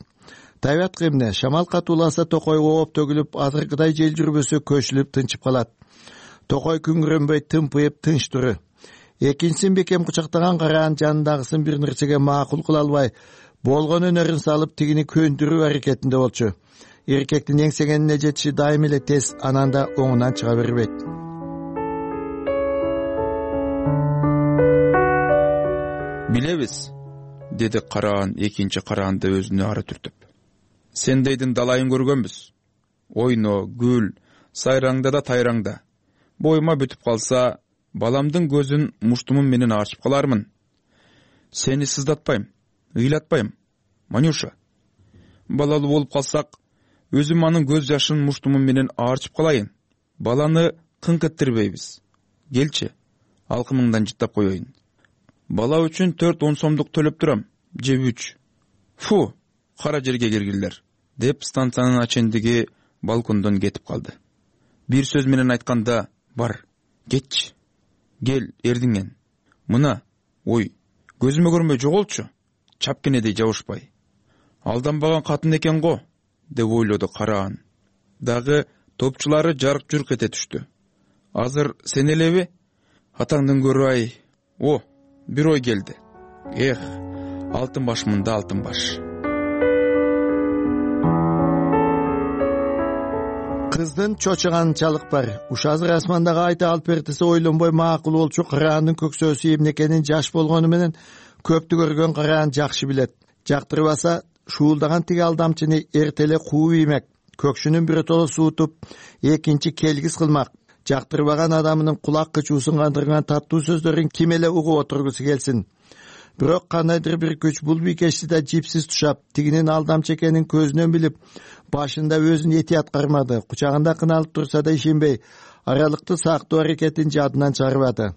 Табият кемне, шамал катууласа токой ооп төгүлүп, азыркыдай жел жүрбөсө көчүлүп тынчып калат. Токой күңүрөнбөй тымпыйып тынч туру. Экинчисин бекем кучактаган караан жанындагысын бир нерсеге макул кыла албай, болгон өнөрүн салып тигини көндүрүү аракетинде болчу. Эркектин эңсегенине жетиши дайым эле тез, анан да оңунан чыга бербейт. Билебиз, деди караан экинчи караанды өзүнө ары түртүп. Сендейдин далайын көргөнбүз. Ойно, гүл, сайраңда да тайраңда. Боюма бүтүп калса, баламдын көзүн муштумум менен ачып калармын. Сени сыздатпайм, ыйлатпайм, Манюша. Балалуу болуп калсак, өзүм анын көз жашын муштумум менен аарчып калайын. Баланы кыңк эттирбейбиз. Келчи, алкымыңдан жыттап коеюн. Бала үчүн төрт он сомдук төлөп турам, же үч. Фу, кара жерге киргилер, деп станциянын ачендиги балкондон кетип калды. Бир сөз менен айтканда, бар, кетчи. Кел, эрдиңен. Мына, ой, көзүмө көрмөй жоголчу, чапкенедей жабышпай. Алданбаган катын экен го, деп ойлоду караан. Дагы топчулары жарк-журк эте түштү. Азыр сен элеби? Атаңдын көрү-ай. О, бир ой келди. Эх, алтын башмында алтын баш. Кыздын чочуганчалык бар. Уш азыр асмандагы айта алып бертисе ойлонбой макул болчу караандын көксөөсү эмне экенин жаш болгону менен көптү көргөн караан жакшы билет. Жактырбаса, шуулдаган тиги алдамчыны эртеле кууп иймек. Көкшүнүн биротоло суутуп, экинчи келгис кылмак. Жактырбаган адамынын кулак кычуусун кандырган таттуу сөздөрүн ким эле угуп отургусу келсин. Бирок кандайдыр бир күч бул бийкечти да жипсиз тушап, тигинин алдамчы экенин көзүнөн билип, башында өзүн этият кармады. Кучагында кыналып турса да ишенбей, аралыкты сактоо аракетин жадынан чыгарбады.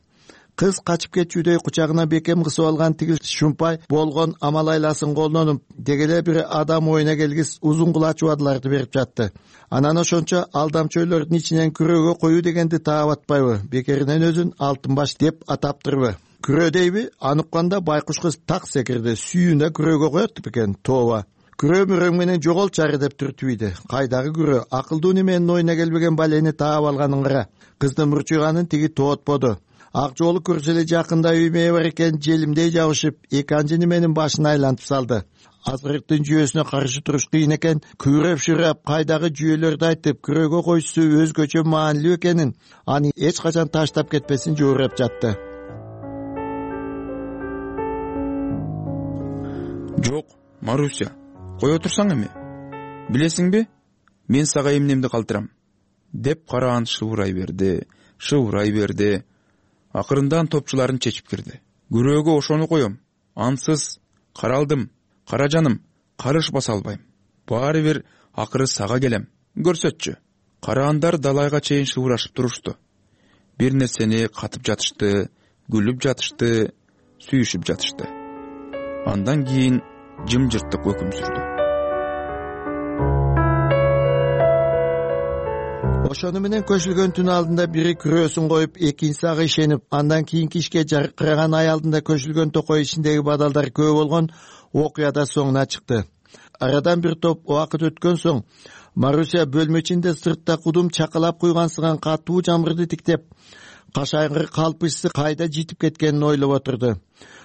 Кыз качып кетчүдөй кучагына бекем кысып алган тигил шумпай болгон амал айласын колдонуп, дегеле бир адам оюна келгис узун кулач убадыларды берип жатты. Анан ошончо алдамчөйлөрдүн ичинен күрөөгө коюу дегенди таап атпайбы, бекеринен өзүн алтын баш деп атаптырбы. күрөө дейби? Аны укканда байкуш кыз так секирди. Сүйүнө күрөөгө коет бекен, тооба. Күрөө мөрөң менен жоголчары деп түртүбүйдү. Кайдагы күрөө? Акылдуу неменин оюна келбеген балени таап алганын кара. Кыздын мурчуйганын тиги тоотподу. Ак жоолу көрсө эле жакында үймө бар экен, желимдей жабышып, эки анчы неменин башын айлантып салды. Азгырыктын жүйөсүнө каршы туруш кыйын экен. Күрөп-шүрөп кайдагы жүйөлөрдү айтып, күрөөгө койсу өзгөчө маанилүү экенин, аны эч качан таштап кетпесин жоорап жатты. Жок, Маруся, кое турсаң эми. Билесиңби? Мен сага эмнемди калтырам, деп караан шыбурай берди, шыбурай берди. Акырындан топчуларын чечип кирди. Күрөөгө ошону коем. Ансыз каралдым. Кара жаным, карышпаса албайм. Баары бир акыры сага келем. Көрсөтчү. Караандар далайга чейин шыбурашып турушту. Бир нерсени катып жатышты, күлүп жатышты, сүйүшүп жатышты. Андан кийин жымжырттык өкүм сүрдү. Ошону менен көчүлгөн түн алдында бири күрөөсүн коюп, экинчиси ага ишенип, андан кийинки ишке жаркыраган ай алдында көчүлгөн токой ичиндеги бадалдар көп болгон окуяда соңуна чыкты. Арадан бир топ убакыт өткөн соң Маруся бөлмө ичинде сыртта кудум чакалап куйгансыган катуу жамгырды тиктеп, кашайгыр калпычысы кайда житип кеткенин ойлоп отурду.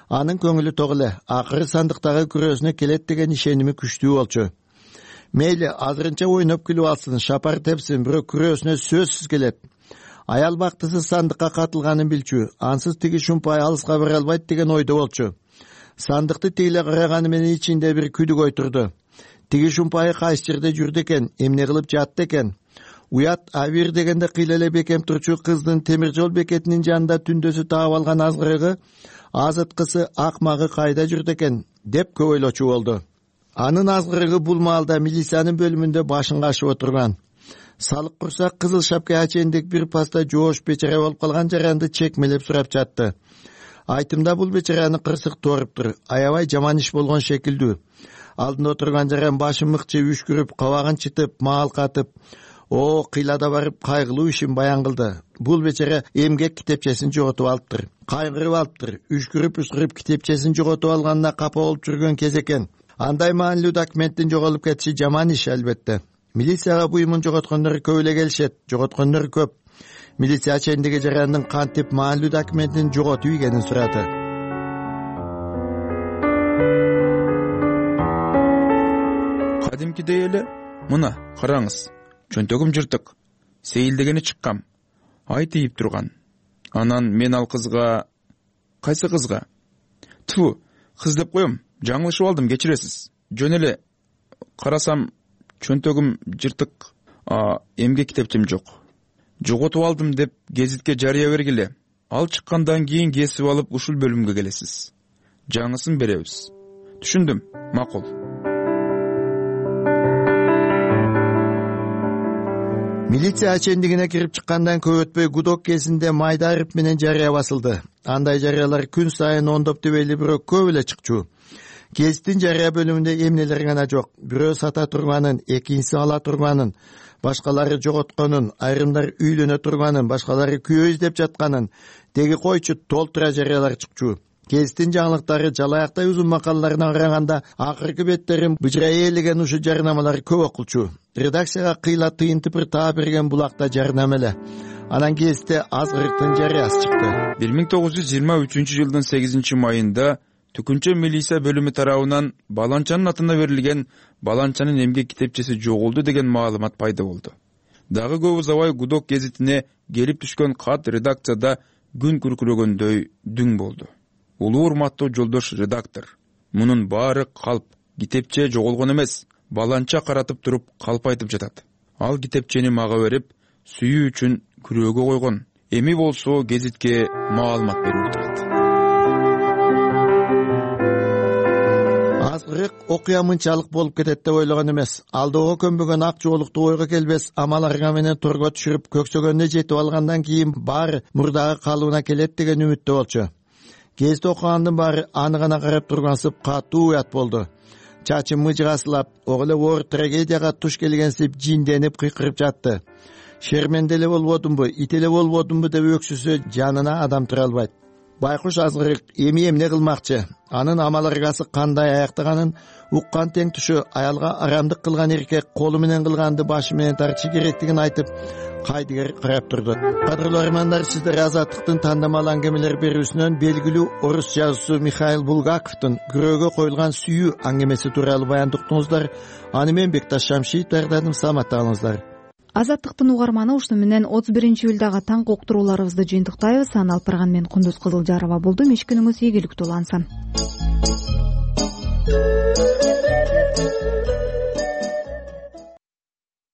Анын көңүлү ток эле, акыры сандыктагы күрөөсүнө келет деген ишеними күчтүү болчу. Мейли азырынча ойноп күлүп алсын, шапар тепсин, бирок күрөөсүнө сөзсүз келет. Аял бактысы сандыкка катылганын билчү, ансыз тиги шумпай алыска бара албайт деген ойдо болчу. Сандыкты тегиле караганы менен ичинде бир күдүк ойтурду. Тиги шумпайы кайсы жерде жүрдү экен, эмне кылып жатты экен? Уят авир дегенде кыйла эле бекем турчу кыздын темир жол бекетинин жанында түндөсү таап алган азгырыгы, азыткысы, акмагы кайда жүрдү экен, деп көп ойлочу болду. Анын азгырыгы бул маалда милициянын бөлүмүндө башын кашып отурган. Салык курсак кызыл шапка ачендик бир паста жоош бечара болуп калган жаранды чекмелеп сурап жатты. Айтымда бул бечараны кырсык тооруптур, аябай жаман иш болгон шекилдүү. Алдында отурган жаран башын мыкчып, үшкүрүп, кабагын чытып, маал катып, о, кыйлада барып кайгылуу ишин баян кылды. Бул бечара эмгек китепчесин жоготуп алыптыр. Кайгырып алыптыр. Үшкүрүп-үшкүрүп китепчесин жоготуп алганына капа болуп жүргөн кез экен. Андай маанилүү документтин жоголуп кетиши жаман иш албетте. Милицияга буюмун жоготкондор көп эле келишет, жоготкондор көп. Милиция ачендиги жарандын кантип маанилүү документин жоготуп ийгенин сурады. Кадимкидей эле, мына караңыз, чөнтөгүм жыртык, сейилдегени чыккам, ай тийип турган. Анан мен ал кызга, кайсы кызга? Тфу, кыз деп коем, жаңылышып алдым, кечиресиз. Жөн эле карасам чөнтөгүм жыртык, а эмгек китепчем жок. Жоготуп алдым деп гезитке жарыя бергиле. Ал чыккандан кийин кесип алып ушул бөлүмгө келесиз. Жаңысын беребиз. Түшүндүм, макул. Милиция ачендигине кирип чыккандан көп өтпөй гудок кезинде майда арып менен жарыя басылды. Андай жарыялар күн сайын ондоп дебейли, бирок көп эле чыкчу. Гезиттин жарыя бөлүмүндө эмнелер гана жок. Бирөө сата турганын, экинчиси ала турганын, башкалары жоготконун, айрымдар үйлөнө турганын, башкалары күйөө издеп жатканын, теги койчу толтура жарыялар чыкчу. Гезиттин жаңылыктары жалаяктай узун макалаларына караганда акыркы беттерин быжырай элеген ушул жарнамалар көп окулчу. Редакцияга кыйла тыйын тыпыр таап берген булакта жарнама эле. Анан гезитте азгырыктын жарыясы чыкты. бир миң тогуз жүз жыйырма үчүнчү жылдын сегизинчи майында Түкүнчө милиция бөлүмү тарабынан баланчанын атына берилген баланчанын эмгек китепчеси жоголду деген маалымат пайда болду. Дагы көп узабай гудок гезитине келип түшкөн кат редакцияда күн күркүрөгөндөй дүң болду. Улуу урматтуу жолдош редактор, мунун баары калп, китепче жоголгон эмес, баланча каратып туруп калп айтып жатат. Ал китепчени мага берип, сүйүү үчүн күрөөгө койгон. Эми болсо гезитке маалымат берип турат. Азгырык окуя мынчалык болуп кетет деп ойлогон эмес. Алдоого көнбөгөн ак жоолукту ойго келбес амаларга менен торго түшүрүп көксөгөнүнө жетип алгандан кийин баары мурдагы калыбына келет деген үмүттө болчу. Гезит окугандын баары аны гана карап тургансып катуу уят болду. Чачы мыжыгасылап, ого эле оор трагедияга туш келгенсип жинденип кыйкырып жатты. Шерменде эле болбодумбу, ит эле болбодумбу деп өксүсө жанына адам тура албайт. байкуш азгырык эми эмне кылмакчы, анын амал ыргасы кандай аяктаганын уккан тең түшү аялга арамдык кылган эркек колу менен кылганды башы менен тартышы керектигин айтып кайдыгер карап турду. Кадырлуу армандар, сиздер Азаттыктын тандамал аңгемелер берүүсүнөн белгилүү орус жазуучусу Михаил Булгаковдун күрөөгө коюлган сүйүү аңгемеси тууралуу баяндоо уктуңуздар. Аны мен Бекташ Шамшиев даярдадым. Саламатта калыңыздар. Азаттыктын угарманы ушуну менен отуз биринчи июлдагы таңкы уктурууларыбызды жыйынтыктайбыз. Аны алып барган мен Кундуз Кызылжарова болдум. Иш күнүңүз ийгиликтүү улансын.